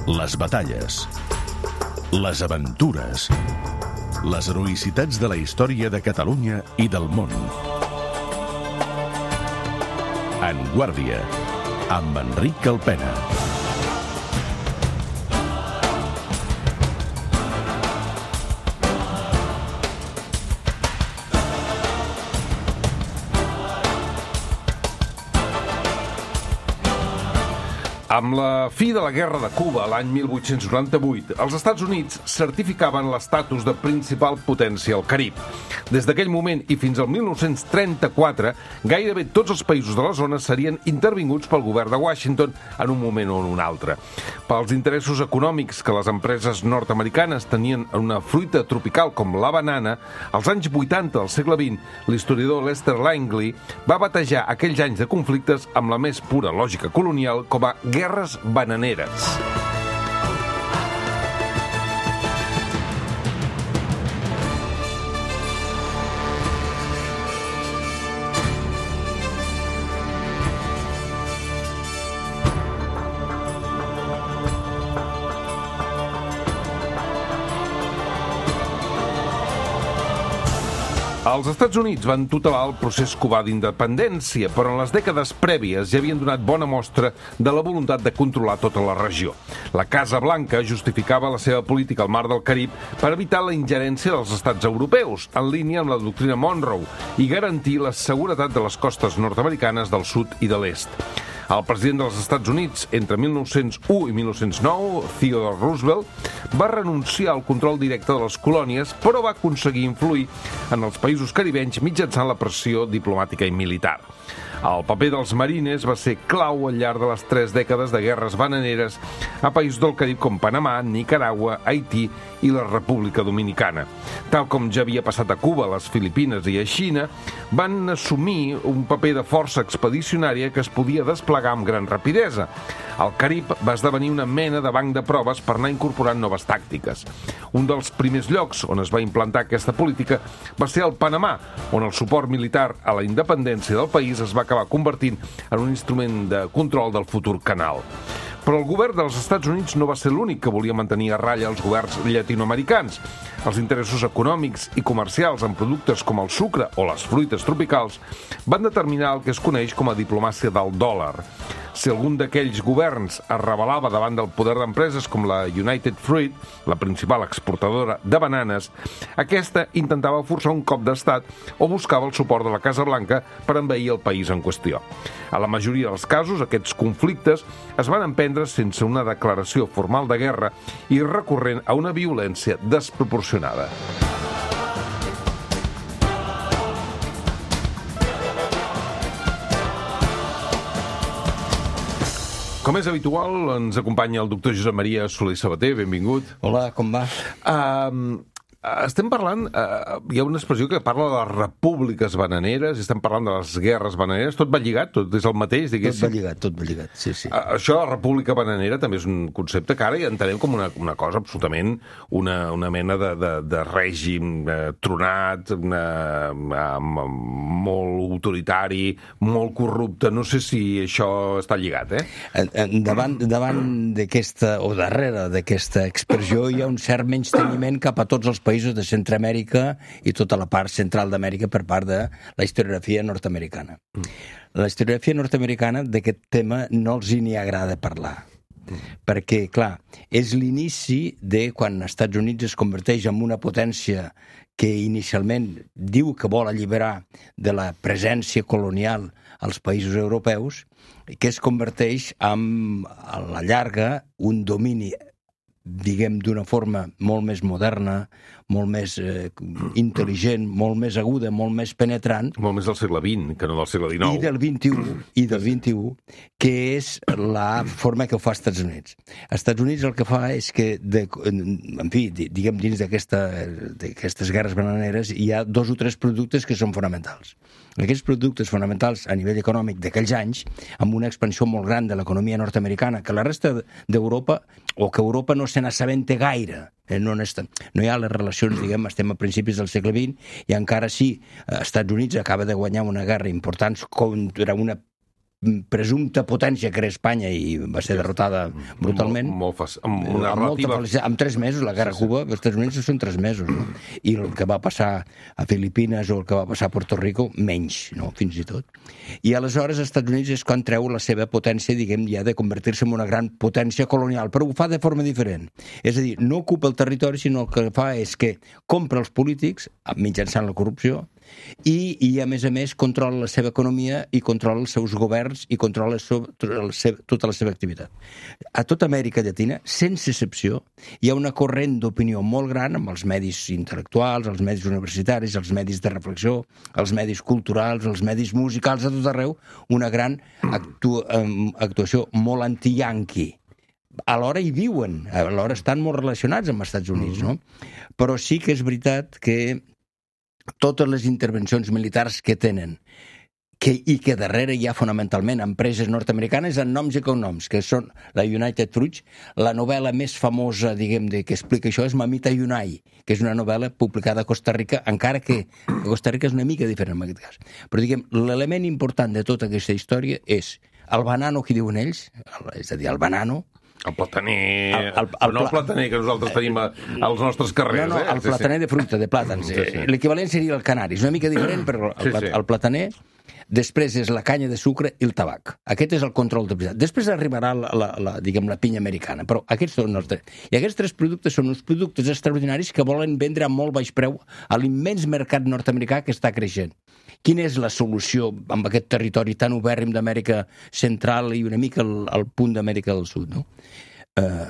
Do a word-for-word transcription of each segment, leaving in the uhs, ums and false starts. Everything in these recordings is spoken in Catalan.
Les batalles, les aventures, les heroïcitats de la història de Catalunya i del món. En Guàrdia, amb Enric Calpena. Amb la fi de la Guerra de Cuba, l'any mil vuit-cents noranta-vuit, els Estats Units certificaven l'estatus de principal potència al Carib. Des d'aquell moment i fins al mil nou-cents trenta-quatre, gairebé tots els països de la zona serien intervinguts pel govern de Washington en un moment o en un altre. Pels interessos econòmics que les empreses nord-americanes tenien en una fruita tropical com la banana, als anys vuitanta del segle vint, l'historiador Lester Langley va batejar aquells anys de conflictes amb la més pura lògica colonial com a guerres bananeres. Els Estats Units van tutelar el procés cubà d'independència, però en les dècades prèvies ja havien donat bona mostra de la voluntat de controlar tota la regió. La Casa Blanca justificava la seva política al mar del Carib per evitar la ingerència dels estats europeus, en línia amb la doctrina Monroe, i garantir la seguretat de les costes nord-americanes del sud i de l'est. El president dels Estats Units, entre mil nou-cents u i mil nou-cents nou, Theodore Roosevelt, va renunciar al control directe de les colònies, però va aconseguir influir en els països caribenys mitjançant la pressió diplomàtica i militar. El paper dels marines va ser clau al llarg de les tres dècades de guerres bananeres a països del Carib com Panamà, Nicaragua, Haití i la República Dominicana. Tal com ja havia passat a Cuba, a les Filipines i a Xina, van assumir un paper de força expedicionària que es podia desplegar amb gran rapidesa. El Carib va esdevenir una mena de banc de proves per anar incorporant noves tàctiques. Un dels primers llocs on es va implantar aquesta política va ser el Panamà, on el suport militar a la independència del país es va acabar convertint en un instrument de control del futur canal. Però el govern dels Estats Units no va ser l'únic que volia mantenir a ratlla els governs llatinoamericans. Els interessos econòmics i comercials en productes com el sucre o les fruites tropicals van determinar el que es coneix com a diplomàcia del dòlar. Si algun d'aquells governs es rebel·lava davant del poder d'empreses com la United Fruit, la principal exportadora de bananes, aquesta intentava forçar un cop d'estat o buscava el suport de la Casa Blanca per envair el país en qüestió. A la majoria dels casos, aquests conflictes es van emprendre sense una declaració formal de guerra i recorrent a una violència desproporcionada. Com és habitual, ens acompanya el doctor Josep Maria Soler Sabater. Benvingut. Hola, com va? Uh, estem parlant... Uh, hi ha una expressió que parla de les repúbliques bananeres, i estem parlant de les guerres bananeres. Tot va lligat? Tot és el mateix, diguéssim? Tot va lligat, tot va lligat, sí, sí. Uh, això, la república bananera, també és un concepte que ara ja entenem com una, una cosa absolutament, una, una mena de, de, de règim uh, tronat, una, uh, molt autoritari, molt corrupte. No sé si això està lligat, eh? Davant, davant d'aquesta, o darrere d'aquesta expressió, hi ha un cert menysteniment cap a tots els països de Centroamèrica i tota la part central d'Amèrica per part de la historiografia nord-americana. Mm. La historiografia nord-americana d'aquest tema no els hi ni agrada parlar. Mm. Perquè, clar, és l'inici de quan els Estats Units es converteix en una potència que inicialment diu que vol alliberar de la presència colonial als països europeus, que es converteix en, a la llarga, un domini, diguem, d'una forma molt més moderna, molt més eh, intel·ligent, molt més aguda, molt més penetrant. Molt més del segle vint, que no del segle dinou. I del vint-i-u, i del vint-i-u, que és la forma que ho fa als Estats Units. Els Estats Units el que fa és que, de, en fi, diguem, dins d'aquestes guerres bananeres, hi ha dos o tres productes que són fonamentals. Aquests productes fonamentals a nivell econòmic d'aquells anys, amb una expansió molt gran de l'economia nord-americana, que la resta d'Europa, o que Europa no se n'assabenta gaire, no, no hi ha les relacions, diguem, estem a principis del segle vint, i encara sí, els Estats Units acaba de guanyar una guerra important contra una presumpta potència que era Espanya i va ser derrotada brutalment. Molt, molt fac... amb una amb, relativa... molta amb tres mesos, la guerra a Cuba, els Estats Units són tres mesos, no? I el que va passar a Filipines o el que va passar a Puerto Rico, menys, no? Fins i tot. I aleshores els Estats Units és quan treu la seva potència, diguem, ja de convertir-se en una gran potència colonial, però ho fa de forma diferent. És a dir, no ocupa el territori, sinó el que fa és que compra els polítics, mitjançant la corrupció, i, i a més a més controla la seva economia i controla els seus governs i controla la seva, tota la seva activitat. A tota Amèrica Llatina, sense excepció, hi ha una corrent d'opinió molt gran amb els medis intel·lectuals, els medis universitaris, els medis de reflexió, els medis culturals, els medis musicals, a tot arreu, una gran actu actuació molt anti-yanqui. Alhora hi viuen, alhora estan molt relacionats amb els Estats Units, no? Però sí que és veritat que totes les intervencions militars que tenen que, i que darrere hi ha fonamentalment empreses nord-americanes en noms i cognoms, que són la United Fruits. La novel·la més famosa, diguem, de, que explica això és Mamita Yunai, que és una novel·la publicada a Costa Rica, encara que Costa Rica és una mica diferent en aquest cas. Però, diguem, l'element important de tota aquesta història és el banano que diuen ells, és a dir, el banano, el plataner... El, el, el, no el plataner que nosaltres tenim a, als nostres carrers. No, no, el eh? plataner sí, sí. de fruita, de plàtans. Sí, sí. L'equivalent seria el canari. És una mica diferent, però el, sí, sí. el plataner, després és la canya de sucre i el tabac. Aquest és el control de veritat. Després arribarà la, la, la, diguem, la pinya americana, però aquests són els tres. I aquests tres productes són uns productes extraordinaris que volen vendre a molt baix preu a l'immens mercat nord-americà que està creixent. Quina és la solució amb aquest territori tan obèrrim d'Amèrica Central i una mica al, al punt d'Amèrica del Sud, no? Eh,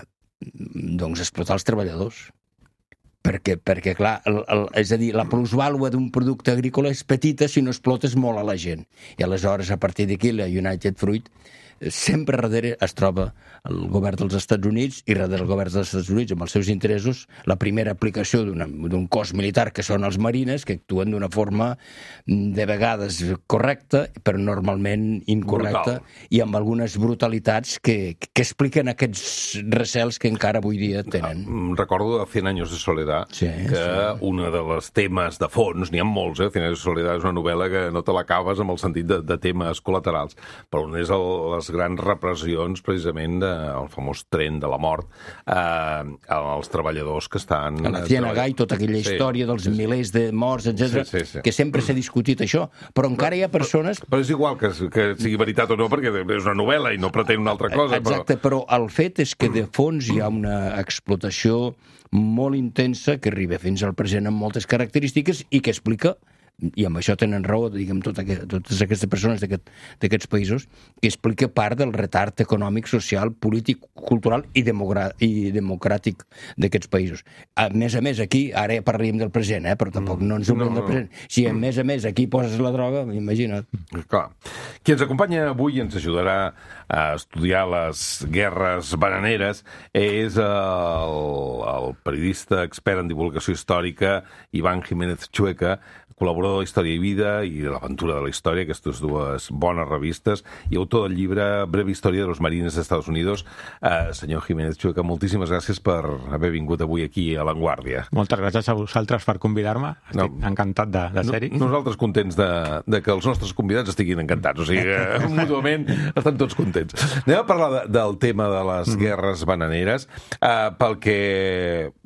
doncs explotar els treballadors. Perquè, perquè clar, el, el, és a dir, la plusvàlua d'un producte agrícola és petita si no explotes molt a la gent. I aleshores, a partir d'aquí, la United Fruit sempre darrere es troba el govern dels Estats Units i darrere el govern dels Estats Units amb els seus interessos la primera aplicació d'un cos militar que són els marines, que actuen d'una forma de vegades correcta però normalment incorrecta. Brutal. I amb algunes brutalitats que, que expliquen aquests recels que encara avui dia tenen. Recordo Cien años de soledad, sí, que sí. Una de les temes de fons, n'hi ha molts, eh? Cien años de soledad és una novel·la que no te l'acabes amb el sentit de, de temes col·laterals, però on és el, les grans repressions, precisament, del famós tren de la mort, eh, als treballadors que estan... A la Ciénaga i tota aquella història sí, dels sí, milers de morts, etcètera, sí, sí, sí. que sempre s'ha discutit això, però encara hi ha persones... Però, però és igual que, que sigui veritat o no, perquè és una novel·la i no pretén una altra cosa. Exacte, però... però el fet és que de fons hi ha una explotació molt intensa que arriba fins al present amb moltes característiques i que explica, i amb això tenen raó, diguem, tot aquest, totes aquestes persones d'aquest, d'aquests països, que explica part del retard econòmic, social, polític, cultural i, i democràtic d'aquests països. A més a més, aquí, ara ja parlaríem del present, eh, però tampoc no ens oblidem no, no. del present. Si a més a més aquí poses la droga, imagina't. Clar. Qui ens acompanya avui ens ajudarà a estudiar les guerres bananeres és el, el periodista expert en divulgació històrica Iván Jiménez Chueca, col·laborador de Història i Vida i de l'Aventura de la Història, aquestes dues bones revistes, i autor del llibre Breve Història de los Marines de Estados Unidos. Uh, senyor Jiménez Chueca, moltíssimes gràcies per haver vingut avui aquí a La Vanguardia. Moltes gràcies a vosaltres per convidar-me. Estic no, encantat de, de ser-hi. No, nosaltres contents de, de que els nostres convidats estiguin encantats. O sigui, que, mútuament estan tots contents. Anem a parlar de, del tema de les mm. guerres bananeres, uh, pel que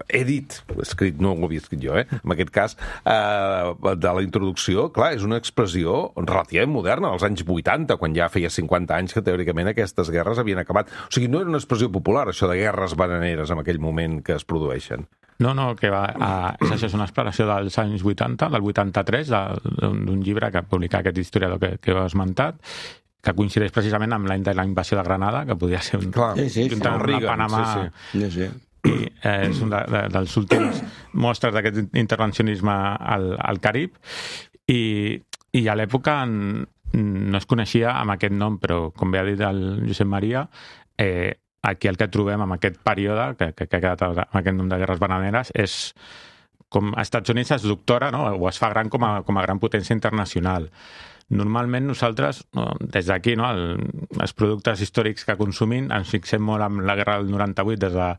he dit, escrit, no ho havia escrit jo, eh, en aquest cas, uh, de la introducció, clar, és una expressió relativament moderna, als anys vuitanta, quan ja feia cinquanta anys que teòricament aquestes guerres havien acabat. O sigui, no era una expressió popular, això de guerres bananeres en aquell moment que es produeixen. No, no, que va, a, és això és una expressió dels anys vuitanta, del vuitanta-tres, d'un llibre que ha publicat aquest historiador que, que heu esmentat, que coincideix precisament amb l'any de la invasió de Granada, que podia ser un... Clar, sí, sí, sí, una Panamà... Sí, sí. sí, sí. I eh, és un de, de, dels últims mostres d'aquest intervencionisme al, al Carib i, i a l'època no es coneixia amb aquest nom, però com bé ha dit el Josep Maria, eh, aquí el que trobem en aquest període, que, que, que ha quedat amb aquest nom de guerres bananeres, és com Estats Units es doctora, no? O es fa gran com a, com a gran potència internacional. Normalment nosaltres, no, des d'aquí, no, el, els productes històrics que consumim, ens fixem molt en la guerra del noranta-vuit des de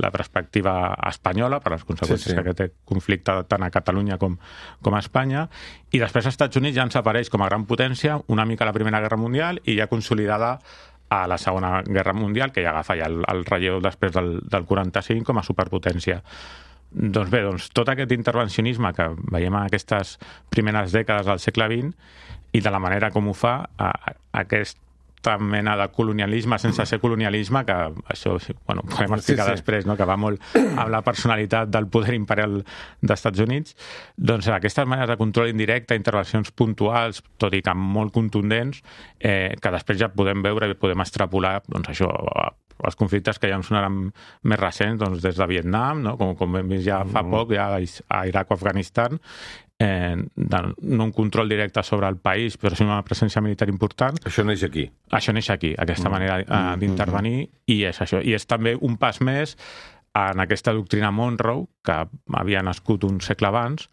la perspectiva espanyola, per les conseqüències sí, sí. que aquest conflicte tant a Catalunya com, com a Espanya, i després als Estats Units ja ens apareix com a gran potència una mica a la Primera Guerra Mundial i ja consolidada a la Segona Guerra Mundial, que ja agafa ja el, el relleu després del, del quaranta-cinc com a superpotència. Doncs bé, doncs, tot aquest intervencionisme que veiem en aquestes primeres dècades del segle vint i de la manera com ho fa, a, a aquesta mena de colonialisme sense ser colonialisme, que això bueno, podem explicar sí, sí. després, no? Que va molt amb la personalitat del poder imperial dels Estats Units, doncs aquestes maneres de control indirecte, intervencions puntuals, tot i que molt contundents, eh, que després ja podem veure i podem extrapolar doncs això, els conflictes que ja ens sonaran més recents, doncs des de Vietnam, no? com, com hem vist ja fa poc, ja a Iraq o Afganistan, eh, de, no un control directe sobre el país, però sí una presència militar important. Això neix aquí. Això neix aquí, aquesta manera eh, d'intervenir, i és això. I és també un pas més en aquesta doctrina Monroe, que havia nascut un segle abans.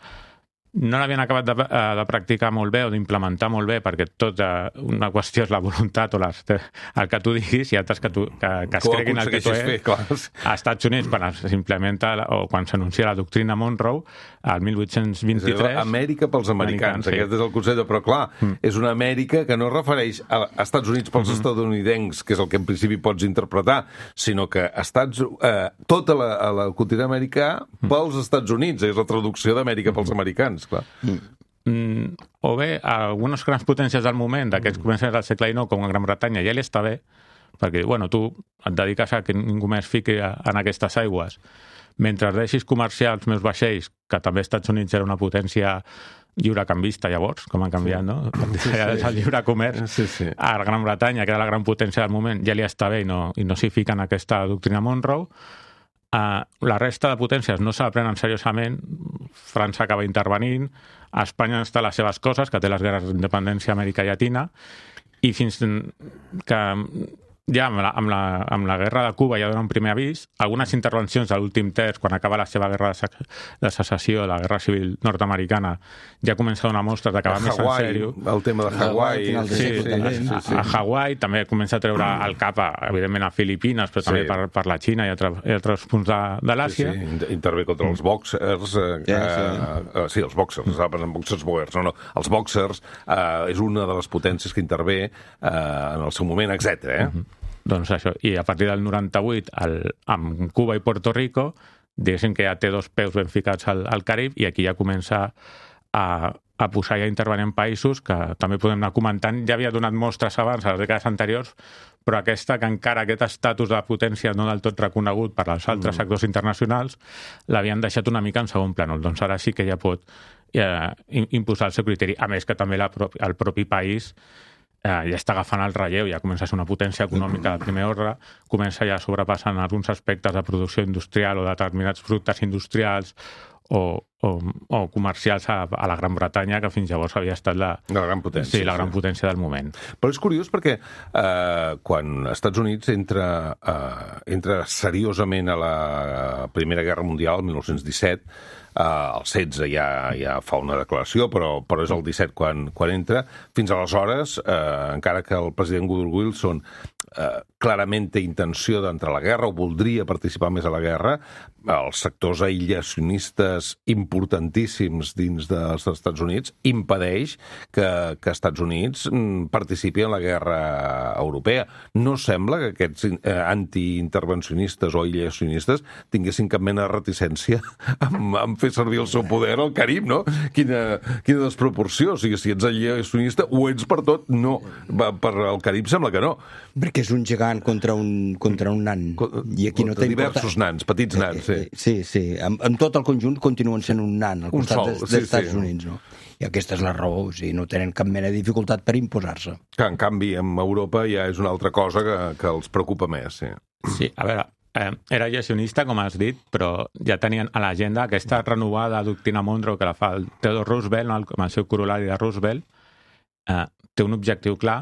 No l'havien acabat de, de practicar molt bé o d'implementar molt bé, perquè tot una qüestió és la voluntat o les, el que tu diguis i altres que, tu, que, que es creguin el que tu ets. Als Estats Units, quan s'implementa o quan s'anuncia la doctrina Monroe, al mil vuit-cents vint-i-tres... Amèrica pels americans, sí. Aquest és el concepte, però clar, mm. és una Amèrica que no es refereix a Estats Units pels mm-hmm. estatunidencs, que és el que en principi pots interpretar, sinó que Estats, eh, tota la, la continent americà pels Estats Units, és la traducció d'Amèrica pels americans. Clar. Mm, o bé, algunes grans potències del moment, d'aquests començaments del segle dinou, com a Gran Bretanya, ja li està bé, perquè bueno, tu et dediques a que ningú més fiqui en aquestes aigües. Mentre deixis comerciar els meus vaixells, que també als Estats Units era una potència lliurecanvista llavors, com ha canviat, sí. no? Sí, sí. El lliure comerç sí, sí. a la Gran Bretanya, que era la gran potència del moment, ja li està bé i no, i no s'hi fica en aquesta doctrina Monroe. Uh, la resta de potències no se la prenen seriosament. França acaba intervenint, a Espanya està les seves coses, que té les guerres d'independència a Amèrica Llatina, i fins que ja amb la, amb, la, amb la guerra de Cuba ja dona un primer avís, algunes intervencions de l'últim terç, quan acaba la seva guerra de, de secessió, la guerra civil nord-americana, ja comença a donar mostres d'acabar més en sèrio. El tema de Hawaii. Sí, sí, sí, sí, sí. A, a Hawaii també comença a treure el cap, a, evidentment, a Filipines, però també sí. per, per la Xina i, altre, i altres punts de, de l'Àsia. Sí, sí. Intervé contra els boxers. Eh, sí, sí. Eh, sí, els boxers, estava pensant en boxers boers. No, no, els boxers eh, és una de les potències que intervé eh, en el seu moment, etcètera. Eh? Uh-huh. Doncs això, i a partir del noranta-vuit, el, amb Cuba i Puerto Rico, diguéssim que ja té dos peus ben ficats al, al Carib, i aquí ja comença a, a posar i a intervenir en països que també podem anar comentant. Ja havia donat mostres abans, a les dècades anteriors, però aquesta, que encara aquest estatus de potència no del tot reconegut per als altres mm. actors internacionals, l'havien deixat una mica en segon plànol. Doncs ara sí que ja pot eh, imposar el seu criteri. A més que també la, el propi país Eh, ja està agafant el relleu, ja comença a ser una potència econòmica de primer ordre, comença ja sobrepassant alguns aspectes de producció industrial o determinats productes industrials o, o, o comercials a, a la Gran Bretanya, que fins llavors havia estat la, la gran potència, sí, la gran sí. potència del moment. Però és curiós perquè eh, quan els Estats Units entra, eh, entra seriosament a la Primera Guerra Mundial, el mil nou-cents disset, Uh, el setze ja, ja fa una declaració, però, però és el disset quan, quan entra. Fins aleshores, uh, encara que el president Woodrow Wilson uh, clarament té intenció d'entrar a la guerra o voldria participar més a la guerra, els sectors aïllacionistes importantíssims dins dels Estats Units impedeix que, que Estats Units participi en la guerra europea. No sembla que aquests eh, antiintervencionistes o aïllacionistes tinguessin cap mena de reticència amb, amb fer servir el seu poder al Carib, no? Quina, quina desproporció. O sigui, si ets aïllacionista o ets per tot, no. Va, per al Carib sembla que no. Perquè és un gegant contra un, contra un nan. I aquí no té diversos importat... nans, petits nans, sí. Sí, sí. En, en tot el conjunt continuen sent un nan al costat sol, dels sí, Estats sí. Units, no? I aquesta és la raó, o sigui, no tenen cap mena de dificultat per imposar-se. Que, en canvi, en Europa ja és una altra cosa que, que els preocupa més, sí. Sí, a veure, eh, era aïllacionista, com has dit, però ja tenien a l'agenda aquesta renovada doctrina Monroe que la fa el Theodore Roosevelt, no? Com el seu corolari de Roosevelt, eh, té un objectiu clar,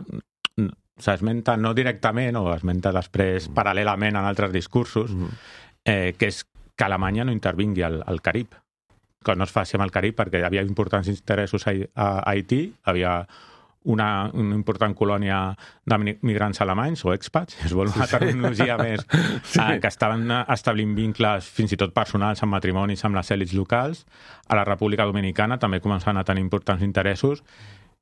s'esmenta no directament o esmenta després mm. paral·lelament en altres discursos, mm. eh, que és que Alemanya no intervingui al, al Carib. que no es faci amb el Carib, perquè hi havia importants interessos a, a Haití, havia una, una important colònia de migrants alemanys o expats, es vol una terminologia més, sí. eh, que estaven establint vincles fins i tot personals amb matrimonis amb les èlits locals. A la República Dominicana també començaven a tenir importants interessos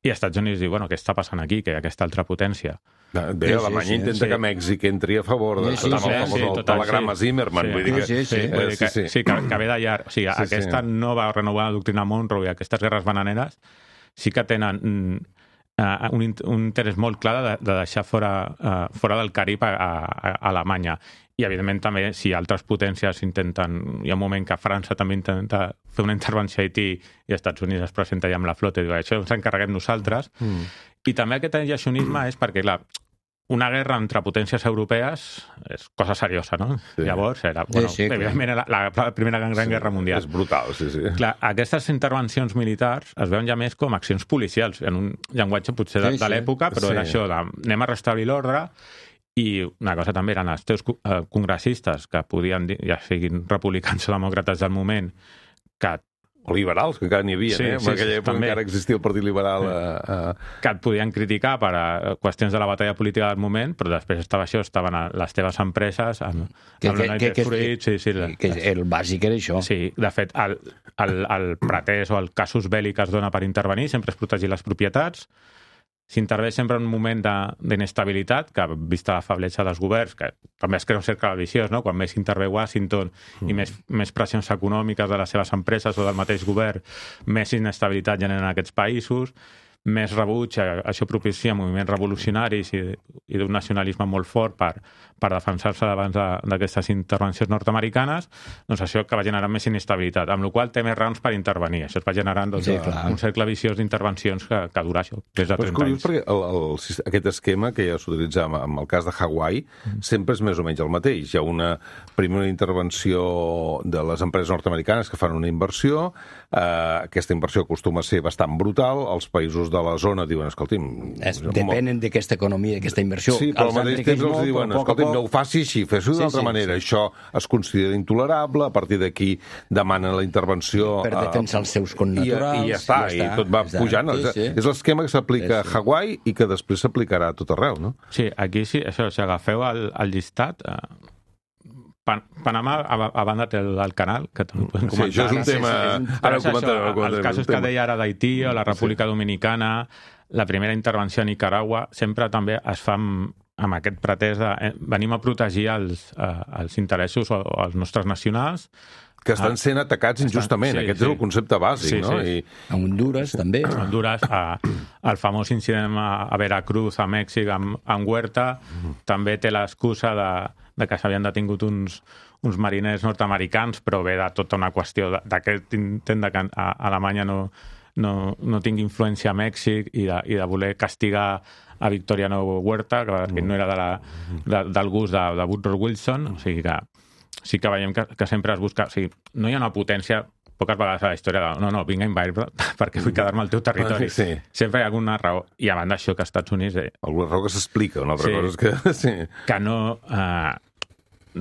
i als Estats Units diu, bueno, què està passant aquí, que hi ha aquesta altra potència. Bé, sí, Alemanya sí, intenta sí. que Mèxic entri a favor de, sí, sí, amb el sí, sí, sí, telegrama sí. Zimmerman. Sí. Vull dir que, sí, sí, sí. Vull dir que, sí, sí. sí, que, que ve d'allà. O sigui, sí, aquesta sí. nova renovada doctrina Monroe i aquestes guerres bananeres sí que tenen uh, un, un interès molt clar de, de deixar fora, uh, fora del Carib a, a, a Alemanya. I, evidentment, també, si altres potències intenten... Hi ha un moment que França també intenta fer una intervenció a Haití i els Estats Units es presenta ja amb la flota i diu, això ens encarreguem nosaltres. Mm. I també aquest aïllacionisme és perquè, clar, una guerra entre potències europees és cosa seriosa, no? Sí. Llavors, era, bueno, sí, sí, evidentment, era la, la Primera Gran sí, Guerra Mundial. És brutal, sí, sí. Clar, aquestes intervencions militars es veuen ja més com accions policials, en un llenguatge potser de, sí, sí. de l'època, però sí. era això de anem a restablir l'ordre. I una cosa també eren els teus congressistes, que podien dir, ja siguin republicans o demòcrates del moment, que... O liberals, que encara n'hi havia, sí, eh? Sí, en aquella sí, època també. encara existia el Partit Liberal. Sí. A, a... Que et podien criticar per a qüestions de la batalla política del moment, però després estava això, estaven a les teves empreses, amb, que, amb que, la que, que, Fruit, sí, sí. Que el bàsic era això. Sí, de fet, el, el, el pretès o el casus belli que es dona per intervenir sempre és protegir les propietats. S'intervé sempre en un moment d'inestabilitat, que vista la febletxa dels governs, que també es crea un cercle viciós, no? Quan més intervé Washington mm. i més, més pressions econòmiques de les seves empreses o del mateix govern, més inestabilitat generen aquests països, més rebuig, això propicia moviments revolucionaris i, i d'un nacionalisme molt fort per, per defensar-se davant d'aquestes intervencions nord-americanes, doncs això que va generar més inestabilitat, amb la qual té més raons per intervenir. Això es va generant doncs, sí, un cercle viciós d'intervencions que, que dura això, des de trenta anys. Perquè el, el, aquest esquema que ja s'utilitzava amb el cas de Hawaii mm. sempre és més o menys el mateix. Hi ha una primera intervenció de les empreses nord-americanes que fan una inversió, eh, aquesta inversió acostuma a ser bastant brutal, els països de la zona diuen, escolti'm... Es, depenen d'aquesta economia, d'aquesta inversió. Sí, però al mateix temps els diuen, escolti'm, no ho faci així, fes-ho d'altra sí, sí, manera. Sí. Això es considera intolerable, a partir d'aquí demanen la intervenció... Per defensar els seus connaturals... I, i ja està, i, ja està, i tot va ja pujant. Sí, sí. És l'esquema que s'aplica sí, sí. a Hawaii i que després s'aplicarà a tot arreu, no? Sí, aquí sí, això, si agafeu el, el llistat... Eh... Pan Panamà, a, a banda té el, el canal, que també podem comentar. Sí, això és un tema... Sí, sí, sí. Ara ho comentarem. Els casos que deia ara d'Haití o la República sí. Dominicana, la primera intervenció a Nicaragua, sempre també es fa amb, amb aquest pretès de... Eh, venim a protegir els, eh, els interessos o, o els nostres nacionals, que estan sent atacats injustament. Sí, Aquest sí. és el concepte bàsic, sí, no? Sí. I... A Honduras, també. A Honduras, a, el famós incident a, a Veracruz, a Mèxic, amb, amb Huerta, mm. també té l'excusa de, de que s'havien detingut uns, uns mariners nord-americans, però ve de tota una qüestió d'aquest intent de que a Alemanya no, no, no tingui influència a Mèxic i de, i de voler castigar a Victoriano Huerta, que mm. no era de la, de, del gust de, de Woodrow Wilson, o sigui que sí que veiem que, que sempre es busca... O sigui, no hi ha una potència, poques vegades a la història de no, no, vinc a invadir perquè vull quedar-me al teu territori. Sí. Sempre hi ha alguna raó. I a banda d'això que als Estats Units... Eh, alguna raó que s'explica, una altra sí, cosa és que... Sí. Que no... Eh,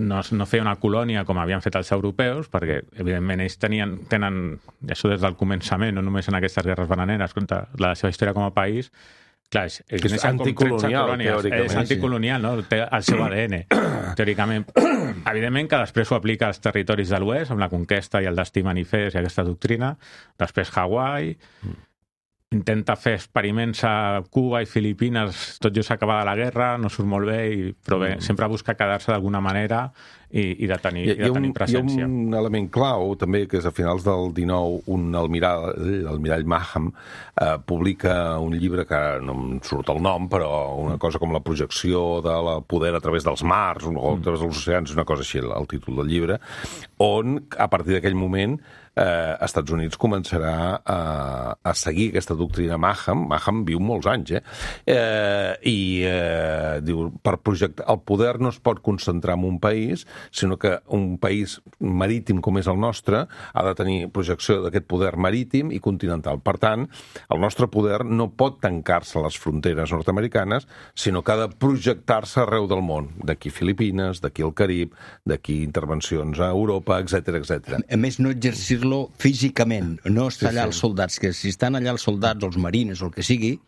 no, no feia una colònia com havien fet els europeus, perquè, evidentment, ells tenien, tenen, això des del començament, no només en aquestes guerres bananeres, contra la seva història com a país, clar, és, és, és anticolonial, teòricament. És anticolonial, no? Té el seu A D N, teòricament. Evidentment que després ho aplica als territoris de l'oest, amb la conquesta i el destí manifest i aquesta doctrina. Després Hawaii, intenta fer experiments a Cuba i Filipines, tot just acabada la guerra, no surt molt bé, i, però bé, mm. sempre busca quedar-se d'alguna manera i, i de tenir, hi, i de tenir un, presència. Hi ha un element clau, també, que és a finals del dinou, un almirall, l'almirall Maham, eh, publica un llibre que no em surt el nom, però una cosa com la projecció del poder a través dels mars o a través dels oceans, una cosa així, el, el títol del llibre, on, a partir d'aquell moment, eh, Estats Units començarà a, a seguir aquesta doctrina Maham. Maham viu molts anys, eh? eh I eh, diu, per projectar... El poder no es pot concentrar en un país, sinó que un país marítim com és el nostre ha de tenir projecció d'aquest poder marítim i continental. Per tant, el nostre poder no pot tancar-se a les fronteres nord-americanes, sinó que ha de projectar-se arreu del món. D'aquí Filipines, d'aquí el Carib, d'aquí intervencions a Europa, etcètera, etcètera. A més, no exercir dir-lo físicament, no està allà sí, sí. els soldats, que si estan allà els soldats, els marines o el que sigui,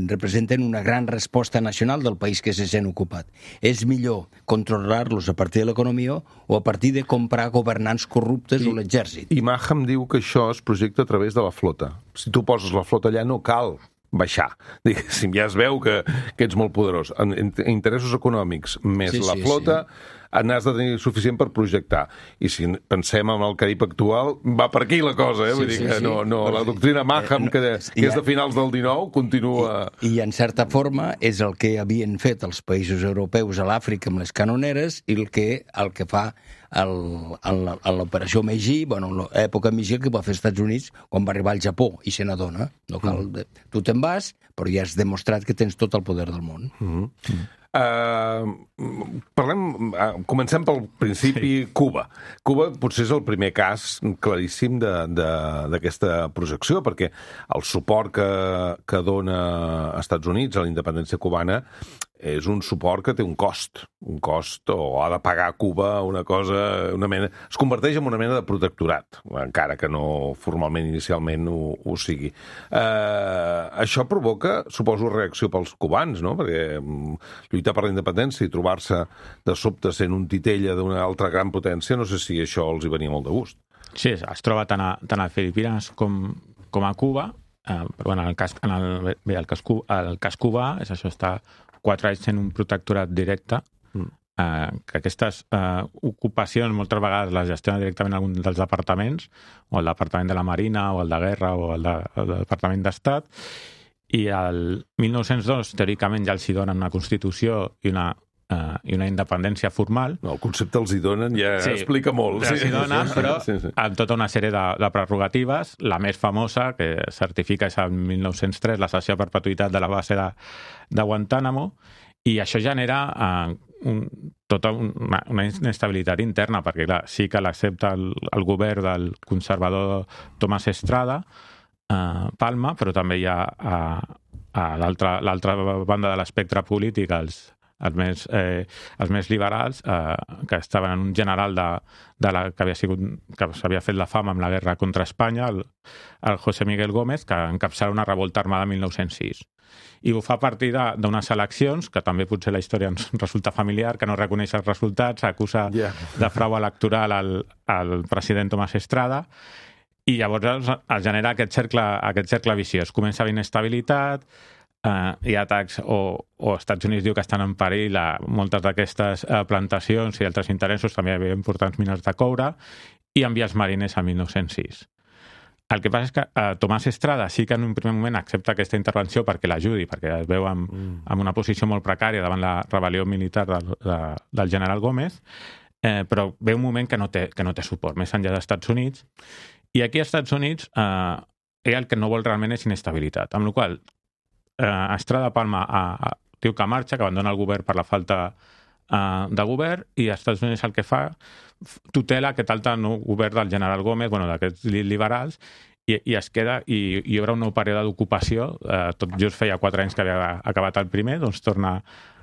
representen una gran resposta nacional del país que se sent ocupat. És millor controlar-los a partir de l'economia o a partir de comprar governants corruptes I, o l'exèrcit. I Maham diu que això es projecta a través de la flota. Si tu poses la flota allà no cal baixar. Diguéssim, ja es veu que, que ets molt poderós. En, en interessos econòmics més sí, la sí, flota sí. n'has de tenir suficient per projectar. I si pensem en el Carib actual, va per aquí la cosa, eh? Vull sí, dir que sí, no, no, la doctrina Maham, que, que és de finals del dinou, continua... I, I en certa forma és el que havien fet els països europeus a l'Àfrica amb les canoneres i el que, el que fa el, el, l'operació Meiji, bueno, l'època Meiji que va fer als Estats Units quan va arribar al Japó i se n'adona. No cal, mm. Tu te'n vas, però ja has demostrat que tens tot el poder del món. Mm. Mm. Uh, parlem, uh, comencem pel principi, sí. Cuba. Cuba potser és el primer cas claríssim d'aquesta projecció, perquè el suport que, que dona als Estats Units a la independència cubana és un suport que té un cost, un cost, o ha de pagar a Cuba una cosa, una mena... Es converteix en una mena de protectorat, encara que no formalment, inicialment, ho, ho sigui. Eh, això provoca, suposo, reacció pels cubans, no? Perquè lluitar per la independència i trobar-se de sobte sent un titella d'una altra gran potència, no sé si això els hi venia molt de gust. Sí, es troba tant a, tant a Filipines com, com a Cuba, eh, però bueno, en el cas, en el, bé, el cas, el cas cubà és això, està quatre anys sent un protectorat directe, mm. eh, que aquestes eh, ocupacions moltes vegades les gestiona directament algun dels departaments, o el Departament de la Marina, o el de Guerra, o el, de, el del Departament d'Estat, i el mil nou-cents dos, teòricament, ja els hi donen una Constitució i una, eh, i una independència formal. No, el concepte els hi donen ja sí, explica molt. Els hi donen, sí, però sí, sí. amb tota una sèrie de, de prerrogatives. La més famosa, que certifica, és el mil nou-cents tres, la cessió a perpetuïtat de la base de, de Guantánamo, i això genera eh, un, tota una, una inestabilitat interna, perquè clar, sí que l'accepta el, el govern del conservador Tomás Estrada, eh, Palma, però també hi ha a, a l'altra banda de l'espectre polític els els més, eh, els més liberals, eh, que estaven en un general de, de la, que havia sigut, que s'havia fet la fama amb la guerra contra Espanya, el, el José Miguel Gómez, que encapçala una revolta armada el mil nou-cents sis. I ho fa a partir d'unes eleccions, que també potser la història ens resulta familiar, que no reconeix els resultats, acusa yeah. de frau electoral al, al president Tomás Estrada, i llavors es genera aquest cercle, aquest cercle viciós. Comença a haver inestabilitat, Uh, hi ha atacs, o, o Estats Units diu que estan en perill a moltes d'aquestes uh, plantacions i altres interessos, també hi havia importants mines de coure, i envies marines a mil nou-cents sis. El que passa és que uh, Tomás Estrada sí que en un primer moment accepta aquesta intervenció perquè l'ajudi, perquè es veu en, mm. en una posició molt precària davant la rebel·lió militar del, de, del general Gómez, eh, però ve un moment que no té, que no té suport, més enllà dels Estats Units, i aquí als Estats Units eh, ell el que no vol realment és inestabilitat, amb la qual cosa Uh, Estrada Palma uh, uh, diu que marxa, que abandona el govern per la falta uh, de govern, i als Estats Units el que fa tutela aquest altre nou govern del general Gómez, bueno, d'aquests liberals, i, i es queda, i, i hi haurà un nou període d'ocupació, uh, tot just feia quatre anys que havia acabat el primer, doncs torna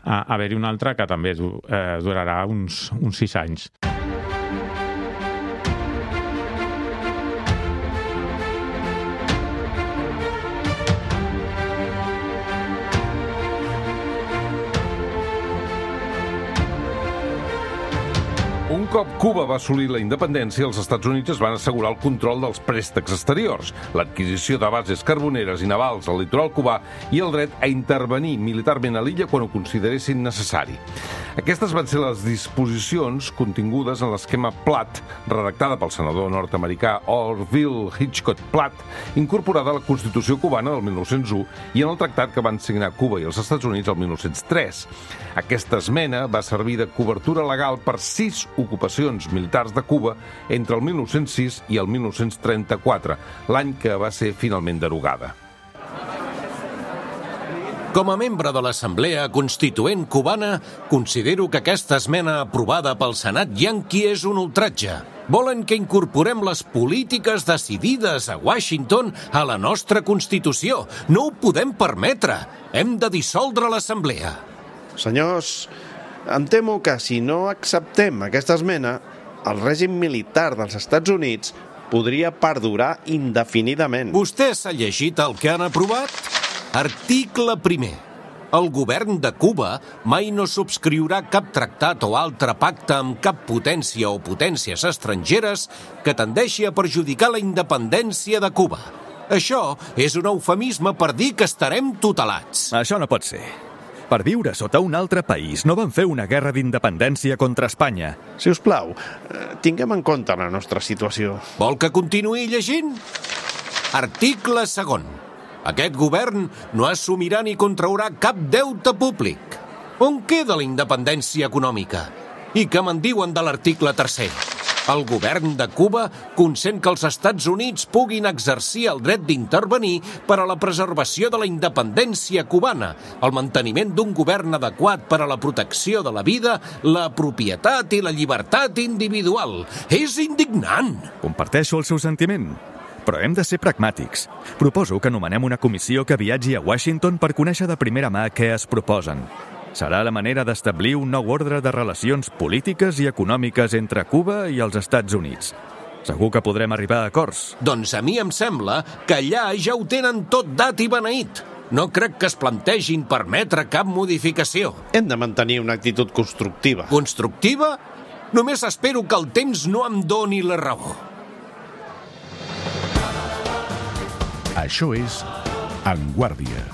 a haver-hi un altre que també uh, durarà uns, uns sis anys. Un cop Cuba va assolir la independència, els Estats Units es van assegurar el control dels préstecs exteriors, l'adquisició de bases carboneres i navals al litoral cubà i el dret a intervenir militarment a l'illa quan ho consideressin necessari. Aquestes van ser les disposicions contingudes en l'esquema Platt, redactada pel senador nord-americà Orville Hitchcock Platt, incorporada a la Constitució cubana del mil nou-cents u i en el tractat que van signar Cuba i els Estats Units el mil nou-cents tres. Aquesta esmena va servir de cobertura legal per sis ocupacions militars de Cuba entre el mil nou-cents sis i el mil nou-cents trenta-quatre, l'any que va ser finalment derogada. Com a membre de l'Assemblea Constituent cubana, considero que aquesta esmena aprovada pel Senat yanqui és un ultratge. Volen que incorporem les polítiques decidides a Washington a la nostra Constitució. No ho podem permetre. Hem de dissoldre l'Assemblea. Senyors, em temo que si no acceptem aquesta esmena, el règim militar dels Estats Units podria perdurar indefinidament. Vostè s'ha llegit el que han aprovat? Article primer. El govern de Cuba mai no subscriurà cap tractat o altre pacte amb cap potència o potències estrangeres que tendeixi a perjudicar la independència de Cuba. Això és un eufemisme per dir que estarem tutelats. Això no pot ser. Per viure sota un altre país no van fer una guerra d'independència contra Espanya. Si us plau, tinguem en compte la nostra situació. Vol que continuï llegint? Article segon. Aquest govern no assumirà ni contraurà cap deute públic. On queda la independència econòmica? I què me'n diuen de l'article tercer? El govern de Cuba consent que els Estats Units puguin exercir el dret d'intervenir per a la preservació de la independència cubana, el manteniment d'un govern adequat per a la protecció de la vida, la propietat i la llibertat individual. És indignant! Comparteixo el seu sentiment, però hem de ser pragmàtics. Proposo que anomenem una comissió que viatgi a Washington per conèixer de primera mà què es proposen. Serà la manera d'establir un nou ordre de relacions polítiques i econòmiques entre Cuba i els Estats Units. Segur que podrem arribar a acords. Doncs a mi em sembla que allà ja ho tenen tot dat i beneït. No crec que es plantegin permetre cap modificació. Hem de mantenir una actitud constructiva. Constructiva? Només espero que el temps no em doni la raó. Això és En Guàrdia.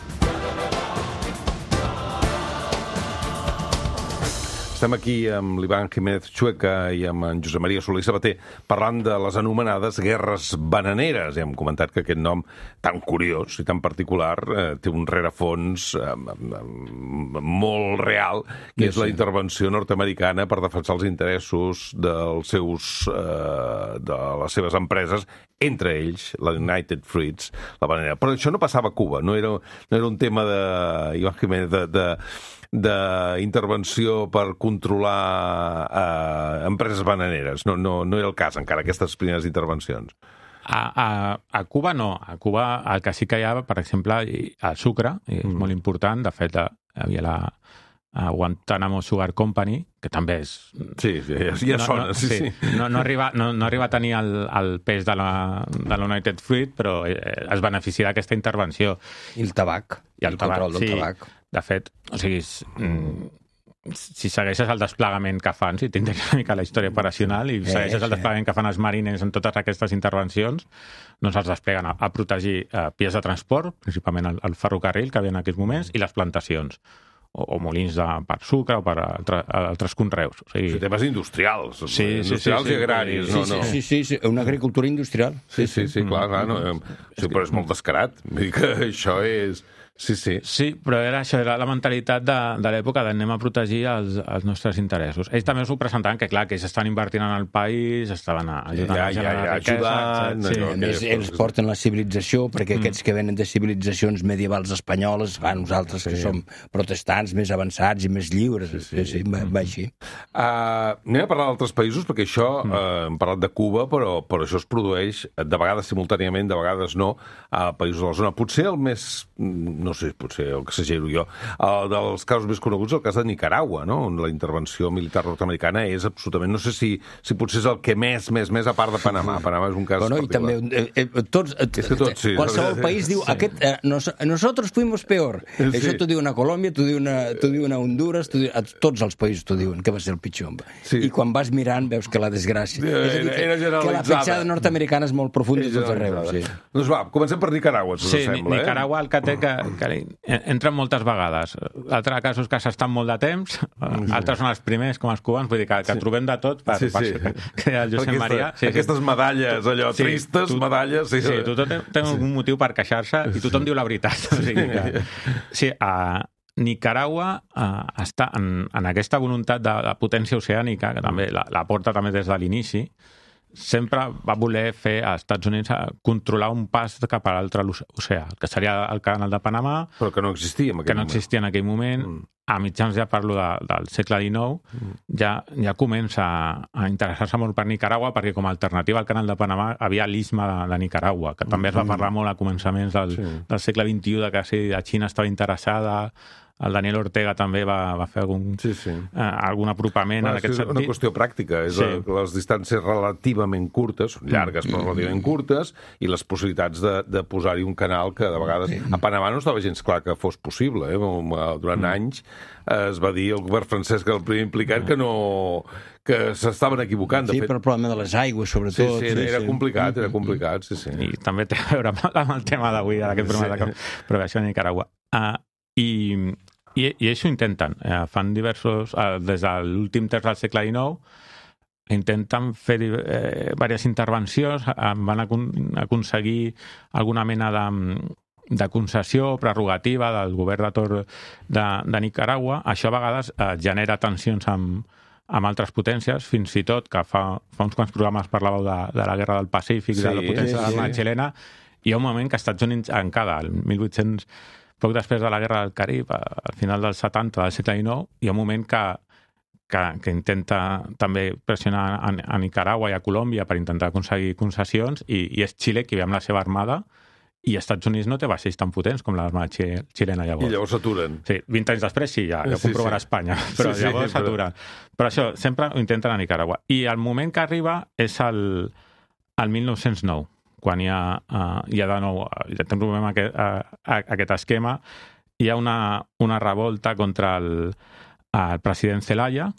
Estem aquí amb l'Ivan Jiménez Chueca i amb en Josep Maria Soler i Sabater parlant de les anomenades guerres bananeres. I hem comentat que aquest nom tan curiós i tan particular eh, té un rerefons eh, molt real, que és la intervenció nord-americana per defensar els interessos dels seus, eh, de les seves empreses, entre ells la United Fruits, la bananera. Però això no passava a Cuba, no era, no era un tema de Ivan Jiménez de... de d'intervenció per controlar eh, empreses bananeres. No, no, no era el cas encara, aquestes primeres intervencions. A, a, a Cuba no. A Cuba el que sí que hi ha, per exemple, el sucre, és mm. molt important. De fet, hi havia la a Guantanamo Sugar Company, que també és... Sí, ja, ja no, sona, no, sí, sí. sí. No, no, arriba, no, no arriba a tenir el, el pes de la, de la United Fruit, però es beneficia d'aquesta intervenció. I el tabac. I el, el tabac, control del sí. tabac. De fet, o sigui, si segueixes el desplegament que fan, si t'interes una mica la història operacional i segueixes el desplegament que fan els marines en totes aquestes intervencions, doncs els despleguen a, a protegir eh, vies de transport, principalment el, el ferrocarril que havia en aquells moments, i les plantacions, o, o molins de, per sucre o per altre, altres conreus. O sigui... Sí, temes industrials, sí, industrials sí, sí, i agraris. Sí, no, no. sí, sí, sí, una agricultura industrial. Sí, sí, sí, clar, clar no, sí, però és molt descarat. Vull dir que això és... Sí, sí. Sí, però era això, era la mentalitat de, de l'època d'anem a protegir els, els nostres interessos. Ells també s'ho presentaven que, clar, que ells estan invertint en el país, estaven ajudant ja, a generar ja, ja, riquesa... ajudant, sí. A més, ells porten la civilització, perquè mm. aquests que venen de civilitzacions medievals espanyoles, ah, nosaltres sí. que som protestants més avançats i més lliures, sí, sí, sí, sí va, va així. Uh, anem a parlar d'altres països, perquè això, mm. uh, hem parlat de Cuba, però, però això es produeix de vegades simultàniament, de vegades no, a països de la zona. Potser el més... no sé, potser el que exagero jo, el dels casos més coneguts, el cas de Nicaragua, no? On la intervenció militar nord-americana és absolutament, no sé si, si potser és el que més, més, més, a part de Panamà. Panamà és un cas bueno, particular. I també, eh, eh, tots, eh, tots, sí. qualsevol país diu, sí. aquest, eh, nos, nosotros fuimos peor. Sí. Això t'ho diu una Colòmbia, t'ho diu una, t'ho diu una Honduras, t'ho diu, a tots els països t'ho diuen, que va ser el pitjor. Sí. I quan vas mirant veus que la desgràcia... Sí, és a dir, que, era que la petjada nord-americana és molt profunda i tot arreu. Sí. Doncs va, comencem per Nicaragua, si sí, us sembla. Nicaragua, eh? el que té que, que entra moltes vegades. L'altre cas és que s'estan molt de temps, sí. altres són els primers, com els cubans, vull dir que, que sí. trobem de tot per, sí, sí. per que el Josep Aquesta, Maria... Sí, aquestes sí. medalles, allò, sí, tristes tu, medalles... Sí, sí, tothom té, té sí. un motiu per queixar-se i tothom sí. diu la veritat. O sigui que, sí, a Nicaragua uh, està en, en aquesta voluntat de, de potència oceànica, que també la, la porta també des de l'inici, sempre va voler fer als Estats Units controlar un pas cap a l'altre oceà, que seria el canal de Panamà... Però que no existia en aquell que no moment. existia en aquell moment. Mm. A mitjans, ja parlo de, del segle dinou, mm. ja, ja comença a, a interessar-se molt per Nicaragua, perquè com a alternativa al canal de Panamà havia l'istme de, de Nicaragua, que també es va parlar molt a començaments del, sí. del segle vint-i-u, de que si la Xina estava interessada el Daniel Ortega també va, va fer algun, sí, sí. Eh, algun apropament Clar, en aquest és sentit. una qüestió pràctica, és sí. la, les distàncies relativament curtes, llargues però relativament curtes, i les possibilitats de, de posar-hi un canal que de vegades... Sí. A Panamà no estava gens clar que fos possible, eh? Durant mm. anys eh, es va dir el govern francès, que el primer implicat, que no... que s'estaven equivocant. De sí, fet. per el problema de les aigües, sobretot. Sí, sí, era sí. complicat, era complicat, sí, sí. I també té a veure amb el tema d'avui, d'aquest problema sí. de prevenció a Nicaragua. Uh, i, i, I això intenten. Uh, fan diversos... Uh, des de l'últim terç del segle dinou intenten fer eh, diverses intervencions, uh, van acon aconseguir alguna mena de, de concessió prerrogativa del govern de torn de, de Nicaragua. Això a vegades uh, genera tensions amb, amb altres potències, fins i tot, que fa, fa uns quants programes parlàveu de, de la Guerra del Pacífic, sí, de la potència sí, de l'armada sí. xilena. Hi ha un moment que als Estats Units, encara, el mil vuit-cents, poc després de la Guerra del Carib, al final dels setanta del segle dinou, hi ha un moment que, que, que intenta també pressionar a, a Nicaragua i a Colòmbia per intentar aconseguir concessions, i, i és Xile qui ve amb la seva armada, i als Estats Units no té vaixells tan potents com l'armada xilena llavors. I llavors s'aturen. Sí, vint anys després sí, ja, ja ho sí, comprovarà sí. Espanya, però sí, sí, llavors s'aturen. Però... però això, sempre ho intenten a Nicaragua. I el moment que arriba és el, el mil nou-cents nou, quan hi ha, uh, hi ha de nou, ja té un problema aquest, uh, aquest esquema, hi ha una, una revolta contra el, el president Zelaya,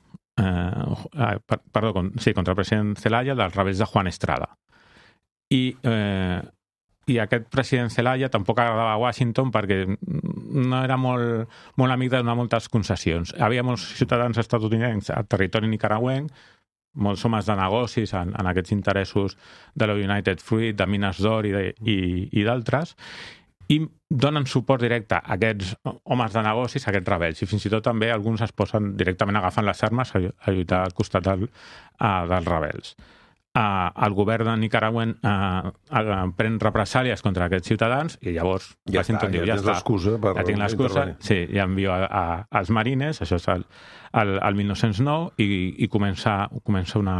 eh, uh, per, perdó, con, sí, contra el president Zelaya dels rebels de Juan Estrada. I, eh, i aquest president Zelaya tampoc agradava a Washington perquè no era molt, molt amic de donar moltes concessions. Hi havia molts ciutadans estatunidencs al territori nicaragüenc, molts homes de negocis en, en aquests interessos de la United Fruit, de mines d'or i, i, i d'altres, i donen suport directe a aquests homes de negocis, a aquests rebels, i fins i tot també alguns es posen directament agafant les armes a, a lluitar al costat del, uh, dels rebels. Uh, el govern de Nicaragua uh, uh, pren represàlies contra aquests ciutadans i llavors ja Washington està, diu, ja, ja l'excusa per ja tinc l'excusa, sí, ja envio a, a, als marines, això és el, el, el mil nou-cents nou, i, i comença, comença una,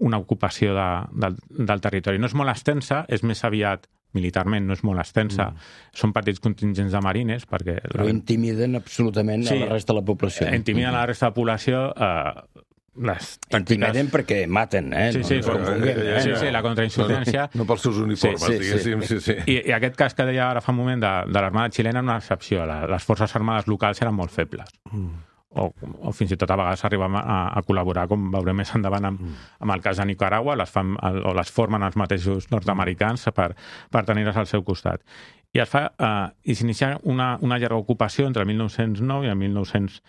una ocupació de, del, del territori. No és molt extensa, és més aviat militarment, no és molt extensa, mm. són petits contingents de marines, perquè... Però la... intimiden absolutament sí, a la resta de la població. Intimiden mm. a la resta de la població... Eh, les intimiden perquè maten, eh? Sí, sí, no, no, no, eh? sí, sí, la contrainsurgència... No, no pels seus uniformes, sí, sí, diguéssim. Sí, sí. I, I aquest cas que deia ara fa un moment de, de l'armada xilena, una excepció. La, les forces armades locals eren molt febles. Mm. O, o fins i tot a vegades arriben a, a col·laborar, com veurem més endavant amb, mm. amb el cas de Nicaragua, les fan, o les formen els mateixos nord-americans per, per tenir-les al seu costat. I es fa, eh, i s'inicia una, una llarga ocupació entre el mil nou-cents nou i el mil nou-cents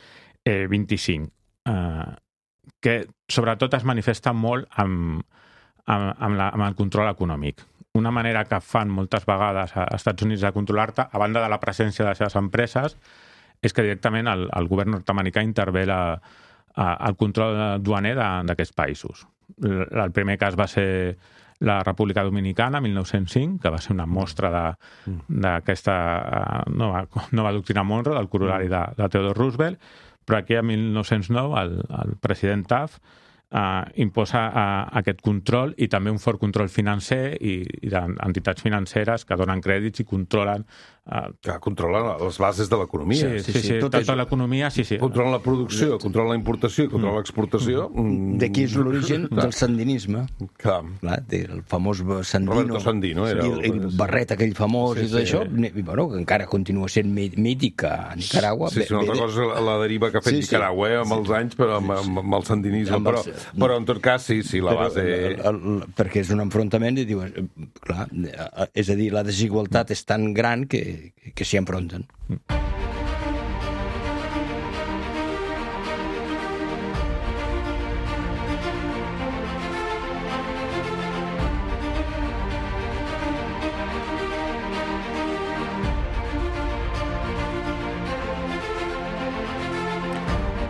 vint-i-cinc. Eh, que sobretot es manifesta molt amb, amb, amb, la, amb el control econòmic. Una manera que fan moltes vegades als Estats Units de controlar-te, a banda de la presència de les seves empreses, és que directament el, el govern nord-americà intervé la, el control duaner d'aquests països. El primer cas va ser la República Dominicana, mil nou-cents cinc, que va ser una mostra d'aquesta nova, nova doctrina Monroe, del corolari de, de Theodore Roosevelt, però aquí a mil nou-cents nou el, el president Taft uh, imposa uh, aquest control i també un fort control financer i, i d'entitats financeres que donen crèdits i controlen... Uh, que controlen les bases de l'economia. Sí, sí, sí, sí, tota és... l'economia, sí, sí. Controlen la producció, controlen la importació, controlen mm. l'exportació. Mm. D'aquí és l'origen del sandinisme. Clar. Clar, el famós Sandino. Roberto Sandino era... I el, el barret aquell famós sí, i tot sí, això, sí. I, bueno, que encara continua sent mític a Nicaragua. Sí, sí, una altra cosa és la deriva que ha fet sí, sí. Nicaragua eh, amb els anys, però amb, amb, amb el sandinisme. Amb els... però, però en tot cas, sí, sí, la base... El, el, el, perquè és un enfrontament i dius, clar, és a dir, la desigualtat és tan gran que, que s'hi enfronten.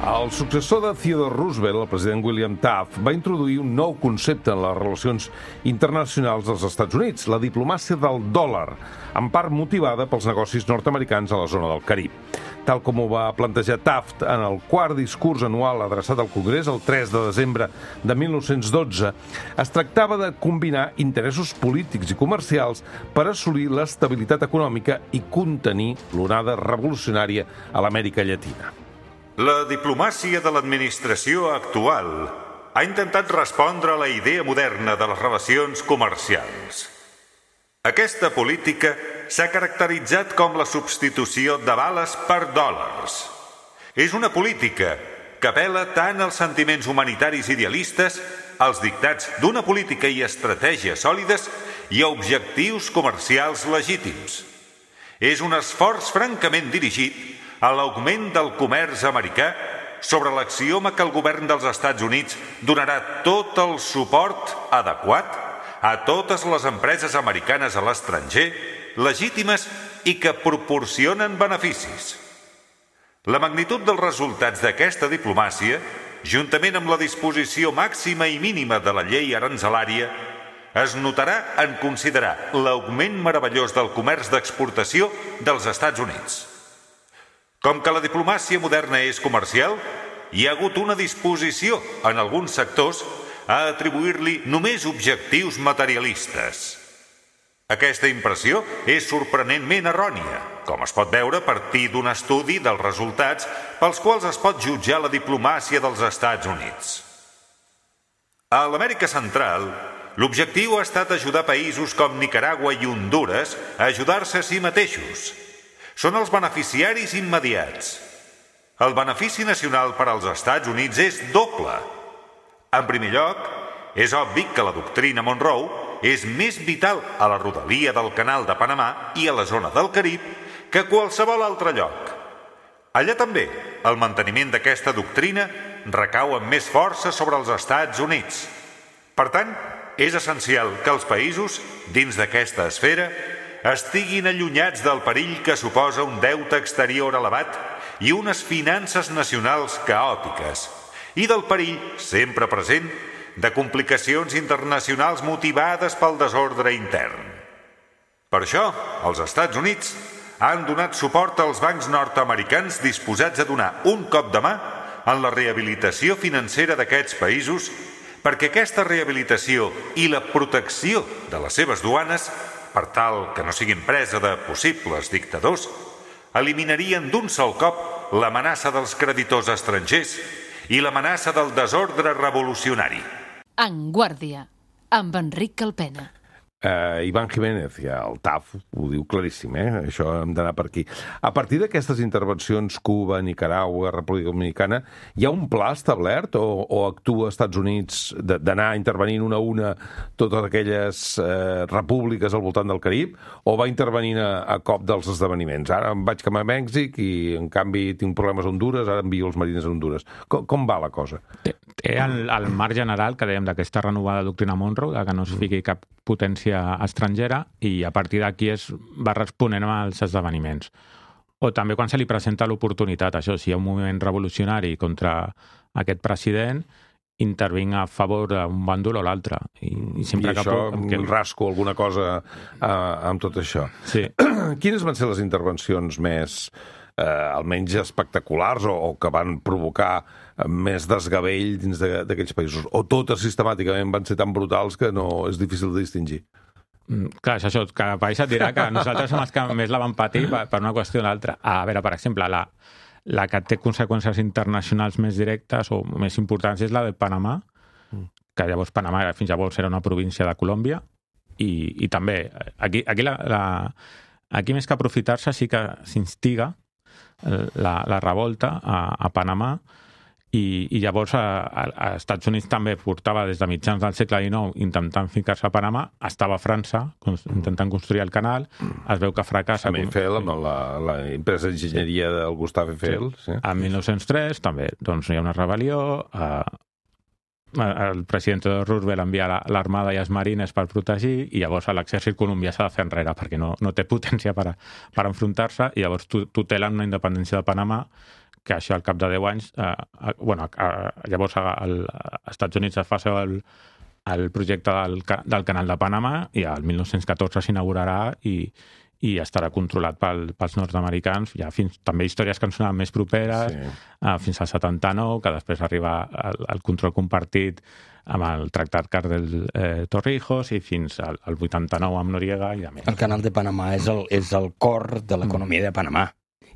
El successor de Theodore Roosevelt, el president William Taft, va introduir un nou concepte en les relacions internacionals dels Estats Units, la diplomàcia del dòlar, en part motivada pels negocis nord-americans a la zona del Carib. tal com ho va plantejar Taft en el quart discurs anual adreçat al Congrés el tres de desembre de mil nou-cents dotze, es tractava de combinar interessos polítics i comercials per assolir l'estabilitat econòmica i contenir l'onada revolucionària a l'Amèrica Llatina. La diplomàcia de l'administració actual ha intentat respondre a la idea moderna de les relacions comercials. Aquesta política s'ha caracteritzat com la substitució de bales per dòlars. És una política que apel·la tant als sentiments humanitaris idealistes, als dictats d'una política i estratègies sòlides i a objectius comercials legítims. És un esforç francament dirigit a l'augment del comerç americà sobre l'axioma que el govern dels Estats Units donarà tot el suport adequat a totes les empreses americanes a l'estranger, legítimes i que proporcionen beneficis. La magnitud dels resultats d'aquesta diplomàcia, juntament amb la disposició màxima i mínima de la llei aranzelària, es notarà en considerar l'augment meravellós del comerç d'exportació dels Estats Units. Com que la diplomàcia moderna és comercial, hi ha hagut una disposició en alguns sectors a atribuir-li només objectius materialistes. Aquesta impressió és sorprenentment errònia, com es pot veure a partir d'un estudi dels resultats pels quals es pot jutjar la diplomàcia dels Estats Units. A l'Amèrica Central, l'objectiu ha estat ajudar països com Nicaragua i Hondures a ajudar-se a si mateixos. Són els beneficiaris immediats. El benefici nacional per als Estats Units és doble. En primer lloc, és obvi que la doctrina Monroe és més vital a la rodalia del Canal de Panamà i a la zona del Carib que a qualsevol altre lloc. Allà també, el manteniment d'aquesta doctrina recau amb més força sobre els Estats Units. Per tant, és essencial que els països, dins d'aquesta esfera, estiguin allunyats del perill que suposa un deute exterior elevat i unes finances nacionals caòtiques, i del perill, sempre present, de complicacions internacionals motivades pel desordre intern. Per això, els Estats Units han donat suport als bancs nord-americans disposats a donar un cop de mà en la rehabilitació financera d'aquests països perquè aquesta rehabilitació i la protecció de les seves duanes, per tal que no siguin presa de possibles dictadors, eliminarien d'un sol cop l'amenaça dels creditors estrangers i l'amenaça del desordre revolucionari. En Guàrdia, amb Enric Calpena. Uh, Iván Jiménez, ja el T A F ho diu claríssim, eh? Això hem d'anar per aquí. A partir d'aquestes intervencions, Cuba, Nicaragua, República Dominicana, hi ha un pla establert o, o actua als Estats Units d'anar intervenint una a una totes aquelles eh, repúbliques al voltant del Carib, o va intervenint a, a cop dels esdeveniments? Ara em vaig cap a Mèxic i, en canvi, tinc problemes a Hondures, ara envio els marines a Hondures. Com, com va la cosa? Té, té el, el marc general que dèiem d'aquesta renovada doctrina Monroe, que no es fiqui cap potència estrangera, i a partir d'aquí es va responent als esdeveniments. O també quan se li presenta l'oportunitat, això, si hi ha un moviment revolucionari contra aquest president, intervinc a favor d'un bàndol o l'altre. I, i, sempre I això, que... que... rasco alguna cosa uh, amb tot això. Sí. Quines van ser les intervencions més, eh, almenys espectaculars, o, o que van provocar més desgavell dins d'aquells països? O totes sistemàticament van ser tan brutals que no és difícil de distingir? Mm, clar, és això, cada país et dirà que nosaltres som els que més la van patir per, per una qüestió o l'altra. A veure, per exemple, la, la que té conseqüències internacionals més directes o més importants és la de Panamà, mm. que llavors Panamà fins llavors era una província de Colòmbia, i, i també aquí, aquí, la, la, aquí més que aprofitar-se sí que s'instiga la, la revolta a, a Panamà. I, i llavors a, a, a Estats Units també portava des de mitjans del segle dinou intentant ficar-se a Panamà, estava a França intentant construir el canal, es veu que fracassa. Amb Eiffel, amb la, la empresa d'enginyeria del Gustave Eiffel. Sí. Sí. En mil nou-cents tres també doncs, hi ha una rebel·lió, eh, el president Roosevelt envia l'armada i els marines per protegir, i llavors l'exèrcit colombià s'ha de fer enrere perquè no, no té potència per, per enfrontar-se, i llavors tutelen una independència de Panamà, que això al cap de deu anys, eh, bueno, eh, llavors als Estats Units es fa el, el projecte del, del canal de Panamà, i al mil nou-cents catorze s'inaugurarà, i, i estarà controlat pel, pels nord-americans. Hi ha fins, també històries que han sonat més properes, sí. uh, fins al setanta-nou, que després arriba al, al control compartit amb el Tractat Cardel eh, Torrijos i fins al, al vuitanta-nou amb Noriega i a més. El canal de Panamà és el, és el cor de l'economia de Panamà.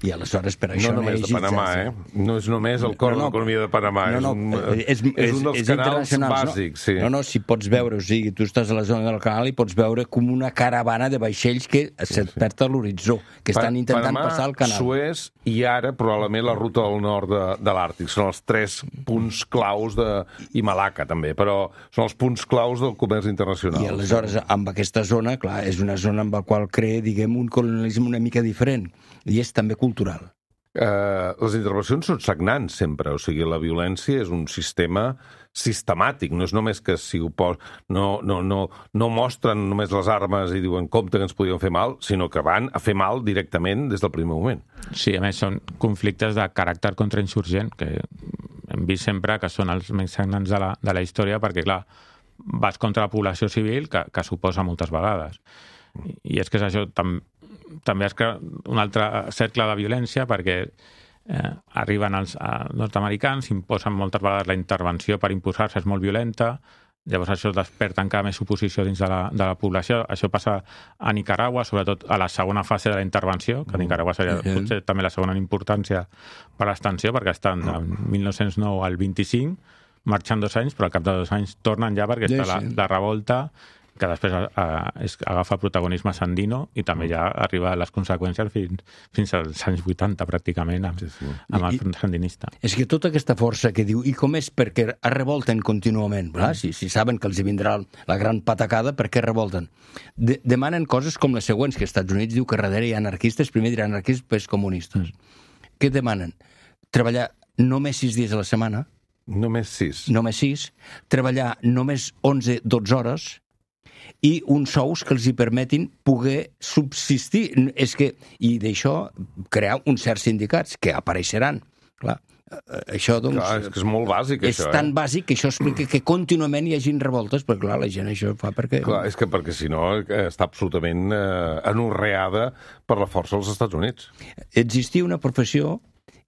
I aleshores per això... No només de Panamà, eh? No és només el cor no, no, de l'economia de Panamà, no, no, és, un, és, és un dels és canals bàsics. No? Sí. no, no, si pots veure, o sigui, tu estàs a la zona del canal i pots veure com una caravana de vaixells que se't perd a l'horitzó, que estan pa intentant Panamà, passar el canal. Suez i ara probablement la ruta del nord de, de l'Àrtic. Són els tres punts claus de... i Malaca també, però són els punts claus del comerç internacional. I aleshores, amb aquesta zona, clar, és una zona amb la qual crea, diguem, un colonialisme una mica diferent, i és també cultural. Uh, les intervencions són sagnants sempre, o sigui, la violència és un sistema sistemàtic, no és només que si ho pos... no, no, no, no mostren només les armes i diuen compte que ens podien fer mal, sinó que van a fer mal directament des del primer moment. Sí, a més són conflictes de caràcter contrainsurgent, que hem vist sempre que són els més sagnants de la, de la història, perquè, clar, vas contra la població civil, que, que s'oposa moltes vegades. I és que és això, tam, també és que un altre cercle de violència, perquè eh, arriben els eh, nord-americans, imposen moltes vegades la intervenció per imposar-se, és molt violenta, llavors això desperta encara més oposició dins de la, de la població. Això passa a Nicaragua, sobretot a la segona fase de la intervenció, que a Nicaragua seria mm-hmm. potser també la segona en importància per l'extensió, perquè estan de mil nou-cents nou al vint-i-cinc, marxant dos anys, però al cap de dos anys tornen ja perquè està la, la revolta, que després a, es, agafa protagonisme Sandino i també ja arriba a les conseqüències fins, fins als anys vuitanta, pràcticament, amb, sí, sí. amb el front sandinista. És que tota aquesta força que diu, i com és perquè es revolten contínuament, mm. si, si saben que els vindrà la gran patacada, per què revolten? De, demanen coses com les següents, que als Estats Units diu que darrere hi ha anarquistes, primer diran anarquistes, després comunistes. Mm. Què demanen? Treballar només sis dies a la setmana. Només sis. Només sis. Treballar només onze dotze hores, i uns sous que els hi permetin poder subsistir. És que, i d'això, crear uns certs sindicats que apareixeran. Clar, això, doncs... Clar, és que és molt bàsic, és això, És tan eh? bàsic que això explica que contínuament hi hagin revoltes, perquè, clar, la gent això fa perquè... Clar, és que perquè, si no, està absolutament eh, anorreada per la força dels Estats Units. Existia una professió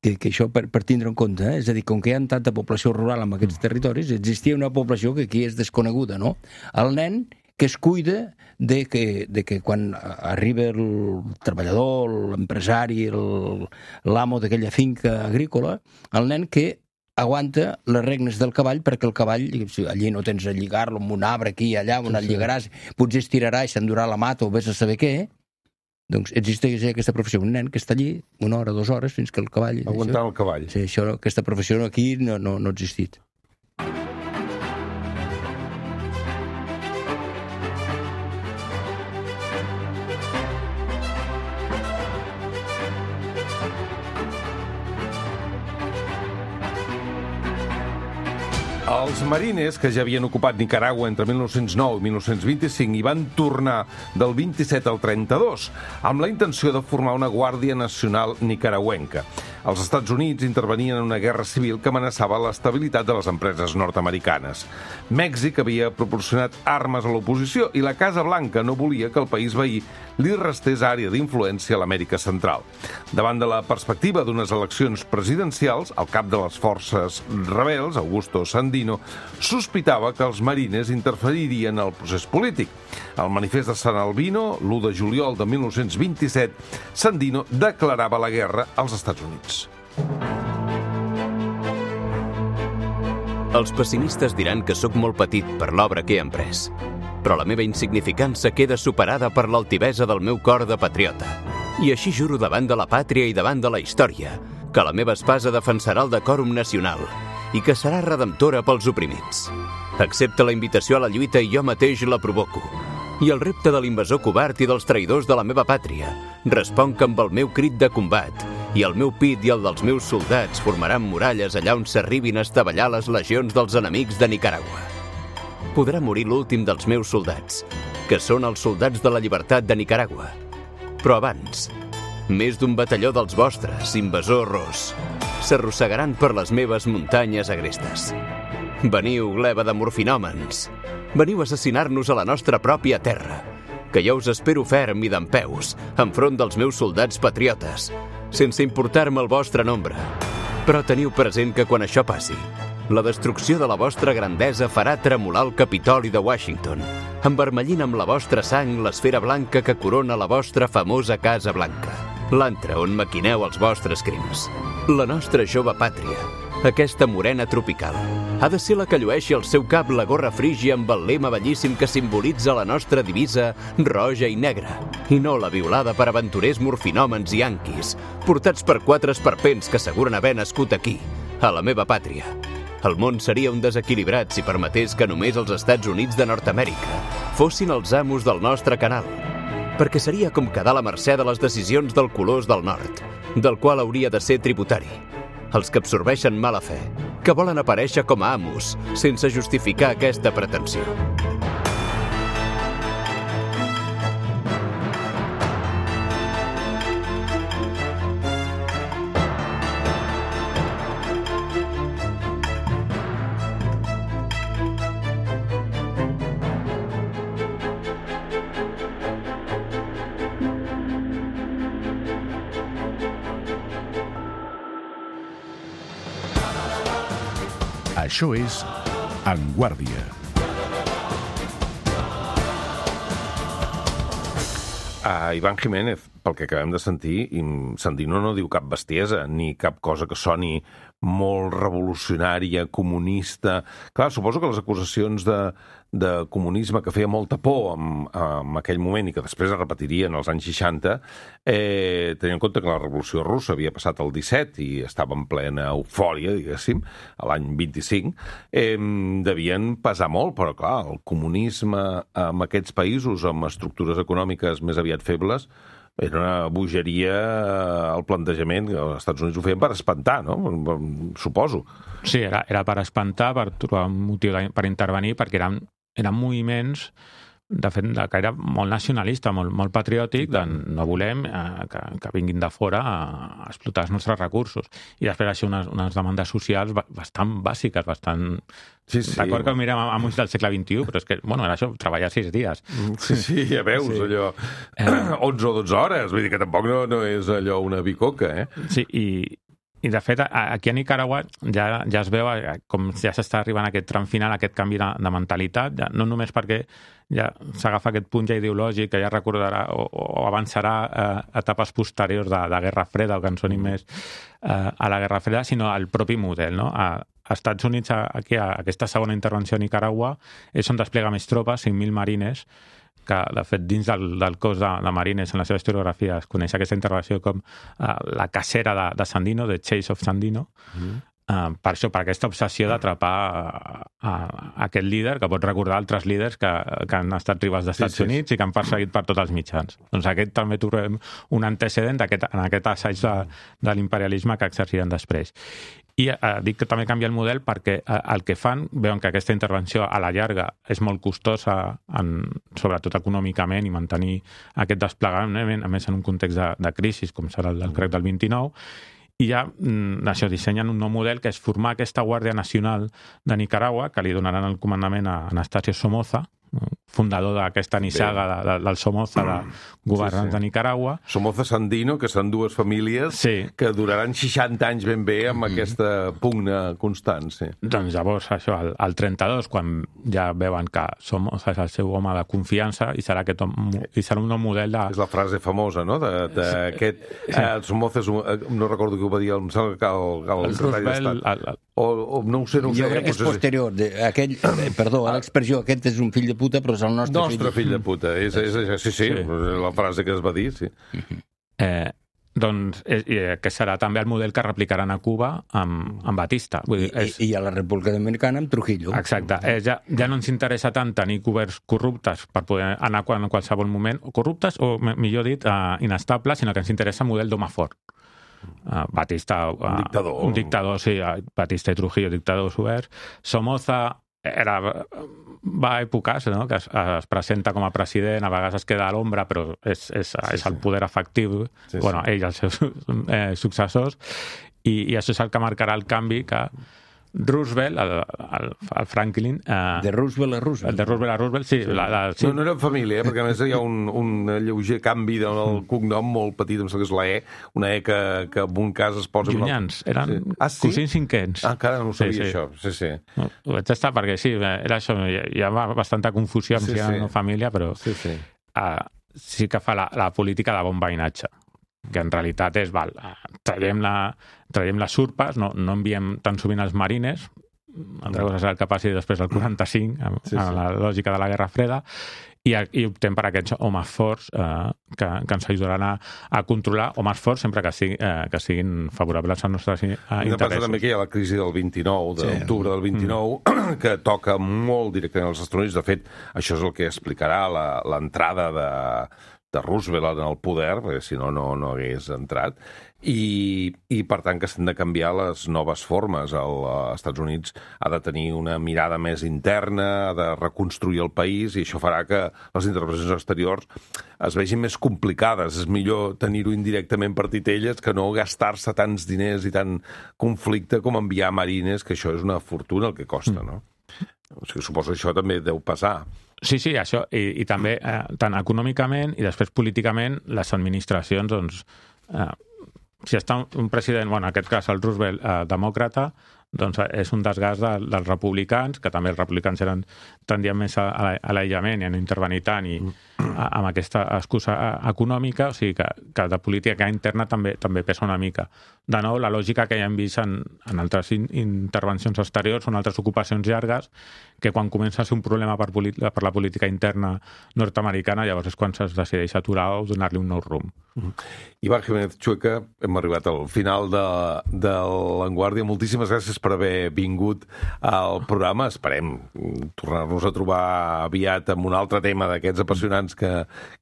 que, que això per, per tindre en compte, eh? És a dir, com que hi ha tanta població rural en aquests territoris, existia una població que aquí és desconeguda, no? El nen que es cuida de que, de que quan arriba el treballador, l'empresari, l'amo d'aquella finca agrícola, el nen que aguanta les regnes del cavall perquè el cavall, si allí no tens a lligar-lo amb un arbre aquí i allà, on sí, el lligaràs, potser estirarà i s'endurà la mata o vés a saber què, doncs existeix aquesta professió, un nen que està allí una hora, dues hores, fins que el cavall... Aguantant això, el cavall. Sí, això, aquesta professió aquí no, no, no ha existit. Els marines, que ja havien ocupat Nicaragua entre mil nou-cents nou i mil nou-cents vint-i-cinc, hi van tornar del vint-i-set al trenta-dos, amb la intenció de formar una Guàrdia Nacional nicaragüenca. Els Estats Units intervenien en una guerra civil que amenaçava l'estabilitat de les empreses nord-americanes. Mèxic havia proporcionat armes a l'oposició i la Casa Blanca no volia que el país veí li restés àrea d'influència a l'Amèrica Central. Davant de la perspectiva d'unes eleccions presidencials, el cap de les forces rebels, Augusto Sandino, sospitava que els marines interferirien en el procés polític. Al manifest de San Albino, l'u de juliol de mil nou-cents vint-i-set, Sandino declarava la guerra als Estats Units. Els pessimistes diran que sóc molt petit per l'obra que he emprès, però la meva insignificança queda superada per l'altivesa del meu cor de patriota. I així juro davant de la pàtria i davant de la història que la meva espasa defensarà el decòrum nacional i que serà redemptora pels oprimits. Accepta la invitació a la lluita i jo mateix la provoco. I el repte de l'invasor covard i dels traïdors de la meva pàtria responc amb el meu crit de combat, i el meu pit i el dels meus soldats formaran muralles allà on s'arribin a estavellar les legions dels enemics de Nicaragua. Podrà morir l'últim dels meus soldats, que són els soldats de la llibertat de Nicaragua. Però abans, més d'un batalló dels vostres, invasor ros, s'arrossegaran per les meves muntanyes agrestes. Veniu, gleba de morfinòmens. Veniu a assassinar-nos a la nostra pròpia terra. que jo us espero ferm i dempeus, enfront dels meus soldats patriotes, sense importar-me el vostre nombre. Però teniu present que quan això passi, la destrucció de la vostra grandesa farà tremolar el Capitoli de Washington, envermellint amb la vostra sang l'esfera blanca que corona la vostra famosa Casa Blanca, l'antre on maquineu els vostres crims. La nostra jove pàtria, aquesta morena tropical, ha de ser la que llueixi al seu cap la gorra frígia amb el lema bellíssim que simbolitza la nostra divisa roja i negra, i no la violada per aventurers morfinòmens i yanquis, portats per quatre esperpents que asseguren haver nascut aquí, a la meva pàtria. El món seria un desequilibrat si permetés que només els Estats Units de Nord-Amèrica fossin els amos del nostre canal, perquè seria com quedar a la mercè de les decisions del colós del nord, del qual hauria de ser tributari. Els que absorbeixen mala fe, que volen aparèixer com a amos, sense justificar aquesta pretensió. Això és En Guàrdia. A Iván Jiménez, pel que acabem de sentir, Sandino no diu cap bestiesa, ni cap cosa que soni molt revolucionària, comunista. Clar, suposo que les acusacions de, de comunisme que feia molta por en, en aquell moment i que després es repetirien als anys seixanta, eh, tenint en compte que la Revolució Russa havia passat el disset i estava en plena eufòria, diguéssim, a l'any vint-i-cinc, eh, devien pesar molt, però clar, el comunisme en aquests països amb estructures econòmiques més aviat febles era una bogeria al plantejament, que els Estats Units ho feien per espantar, no? Suposo. Sí, era, era per espantar, per trobar un motiu de, per intervenir, perquè eren, eren moviments, de fet, que era molt nacionalista, molt, molt patriòtic, de no volem eh, que, que vinguin de fora a, a explotar els nostres recursos. I després això unes, unes demandes socials bastant bàsiques, bastant... Sí, sí. D'acord que ho mirem a uns del segle vint-i-u, però és que, bueno, era això, treballar sis dies. Sí, sí, ja veus, sí. Allò, onze o dotze hores, vull dir que tampoc no, no és allò una bicoca, eh? Sí, i, i de fet, aquí a Nicaragua ja, ja es veu com ja s'està arribant a aquest tram final, a aquest canvi de, de mentalitat, ja, no només perquè ja s'agafa aquest punt ja ideològic que ja recordarà o, o avançarà eh, etapes posteriors de, de Guerra Freda o que en sonin més eh, a la Guerra Freda, sinó al propi model, no? A, a Estats Units, aquí, a aquesta segona intervenció a Nicaragua, és on desplega més tropes, cinc mil marines, que, de fet, dins del, del cos de, de marines, en la seva historiografia, es coneix aquesta intervenció com uh, la cacera de, de Sandino, de Chase of Sandino, mm. uh, per això, per aquesta obsessió d'atrapar a, a, a aquest líder, que pot recordar altres líders que, que han estat rivals dels Estats sí, sí. Units i que han perseguit per tots els mitjans. Doncs aquest també trobem un antecedent aquest, en aquest assaig de, de l'imperialisme que exerciren després. I eh, dic que també canvia el model perquè eh, el que fan, veuen que aquesta intervenció a la llarga és molt costosa, en, sobretot econòmicament, i mantenir aquest desplegament, a més en un context de, de crisi, com serà el del crec del vint-i-nou, i ja mm, això, dissenyen un nou model que és formar aquesta Guàrdia Nacional de Nicaragua, que li donaran el comandament a Anastasio Somoza, fundador d'aquesta nissaga de, de, del Somoza, de governants sí, sí. de Nicaragua. Somoza Sandino, que són dues famílies sí. que duraran seixanta anys ben bé amb mm. aquesta pugna constant. Sí. Doncs llavors, això, al, al trenta-dos, quan ja veuen que Somoza és el seu home de confiança i serà, aquest, i serà un nou model de... És la frase famosa, no?, d'aquest... Sí. Eh, Somoza, és un, no recordo qui ho va dir, em sembla que el, el, el Roosevelt... El, el, o, o no ho sé, no ho sé. Jo crec que és posterior. De, aquell, eh, perdó, l'expressió, aquest és un fill de puta, però és el nostre, nostre fill. fill de puta. És, és, és, sí, sí, sí, la frase que es va dir, sí. Eh, doncs, eh, que serà també el model que replicaran a Cuba amb, amb Batista. Vull dir, és... I, I a la República Dominicana amb Trujillo. Exacte. Eh, ja, ja no ens interessa tant tenir governs corruptes per poder anar en qualsevol moment, o corruptes, o millor dit, uh, inestables, sinó que ens interessa un model d'home fort. Uh, Batista... Uh, un dictador. Un dictador, sí. Uh, Batista i Trujillo, dictadors oberts. Somoza era, va a èpoques, no?, que es, es presenta com a president, a vegades es queda a l'ombra, però és, és, sí, és el poder efectiu, sí, bueno, sí. ell i els seus eh, successors, i, i això és el que marcarà el canvi que Roosevelt, el, el, el Franklin... Eh, de Roosevelt a Roosevelt. De Roosevelt a Roosevelt, sí. sí. La, la, sí. No, no era família, eh? Perquè a més hi ha un, un lleuger canvi del cognom molt petit, em sembla que és la E, una E que, que en un cas es posa... Llunyans, eren sí. ah, sí? cosins cinquens. Ah, encara no ho sabia, sí, sí. això. Sí, sí. No, ho vaig estar perquè sí, era això, hi ha bastanta confusió amb sí, si era sí. una família, però sí, sí. Uh, sí que fa la, la política de bon veïnatge, que en realitat és, val, traiem, la, traiem les surpes, no, no enviem tan sovint els marines, altra cosa serà el que passi després del quaranta-cinc, amb, sí, sí. amb la lògica de la Guerra Freda, i, i optem per aquests homes forts eh, que, que ens ajudaran a, a controlar homes forts sempre que, sigui, eh, que siguin favorables als nostres eh, interessos. Passa també que hi ha la crisi del vint-i-nou, de l'octubre del vint-i-nou, mm. que toca molt directament als Estats Units. De fet, això és el que explicarà l'entrada de, de Roosevelt en el poder, perquè si no, no, no hagués entrat. I, i per tant que s'han de canviar les noves formes. Els Estats Units ha de tenir una mirada més interna, ha de reconstruir el país, i això farà que les intervencions exteriors es vegin més complicades. És millor tenir-ho indirectament per titelles que no gastar-se tants diners i tant conflicte com enviar marines, que això és una fortuna el que costa, no? O sigui, suposo que això també deu passar. Sí, sí, això, i, i també eh, tant econòmicament i després políticament les administracions, doncs, eh, si està un president, bueno, en aquest cas el Roosevelt, eh, demòcrata, doncs és un desgast de, dels republicans, que també els republicans eren tendien més a, a l'aïllament i a no intervenir tant i a, amb aquesta excusa econòmica, o sigui que, que de política interna també també pesa una mica. De nou, la lògica que ja hem vist en, en altres in, intervencions exteriors són altres ocupacions llargues, que quan comença a ser un problema per, per la política interna nord-americana, llavors és quan es decideix aturar o donar-li un nou rumb. Iván Jiménez Chueca, hem arribat al final de, de l'Avantguàrdia. Moltíssimes gràcies per haver vingut al programa. Esperem tornar-nos a trobar aviat amb un altre tema d'aquests apassionants que,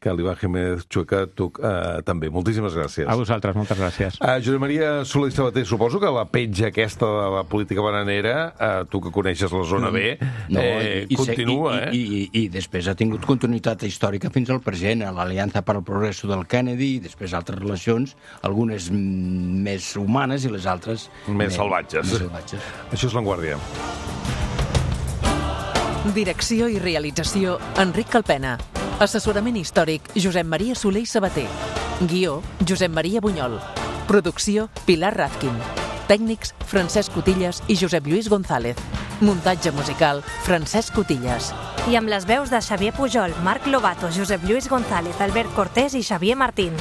que l'Iván Jiménez Chueca tu eh, també. Moltíssimes gràcies. A vosaltres, moltes gràcies. Uh, Josep Maria Soler i Sabater, suposo que la petja aquesta de la política bananera, uh, tu que coneixes la zona B, no, eh, i, continua, i, eh? I, i, I després ha tingut continuïtat històrica fins al present, a l'Aliança per al Progresso del Kennedy, i després altres relacions, algunes més humanes i les altres més, més, salvatges. més salvatges. Això és l'Avantguàrdia. Direcció i realització, Enric Calpena. Assessorament històric, Josep Maria Soler i Sabater. Guió, Josep Maria Bunyol. Producció, Pilar Razkin. Tècnics, Francesc Cotillas i Josep Lluís González. Muntatge musical, Francesc Cotillas. I amb les veus de Xavier Pujol, Marc Lobato, Josep Lluís González, Albert Cortés i Xavier Martín.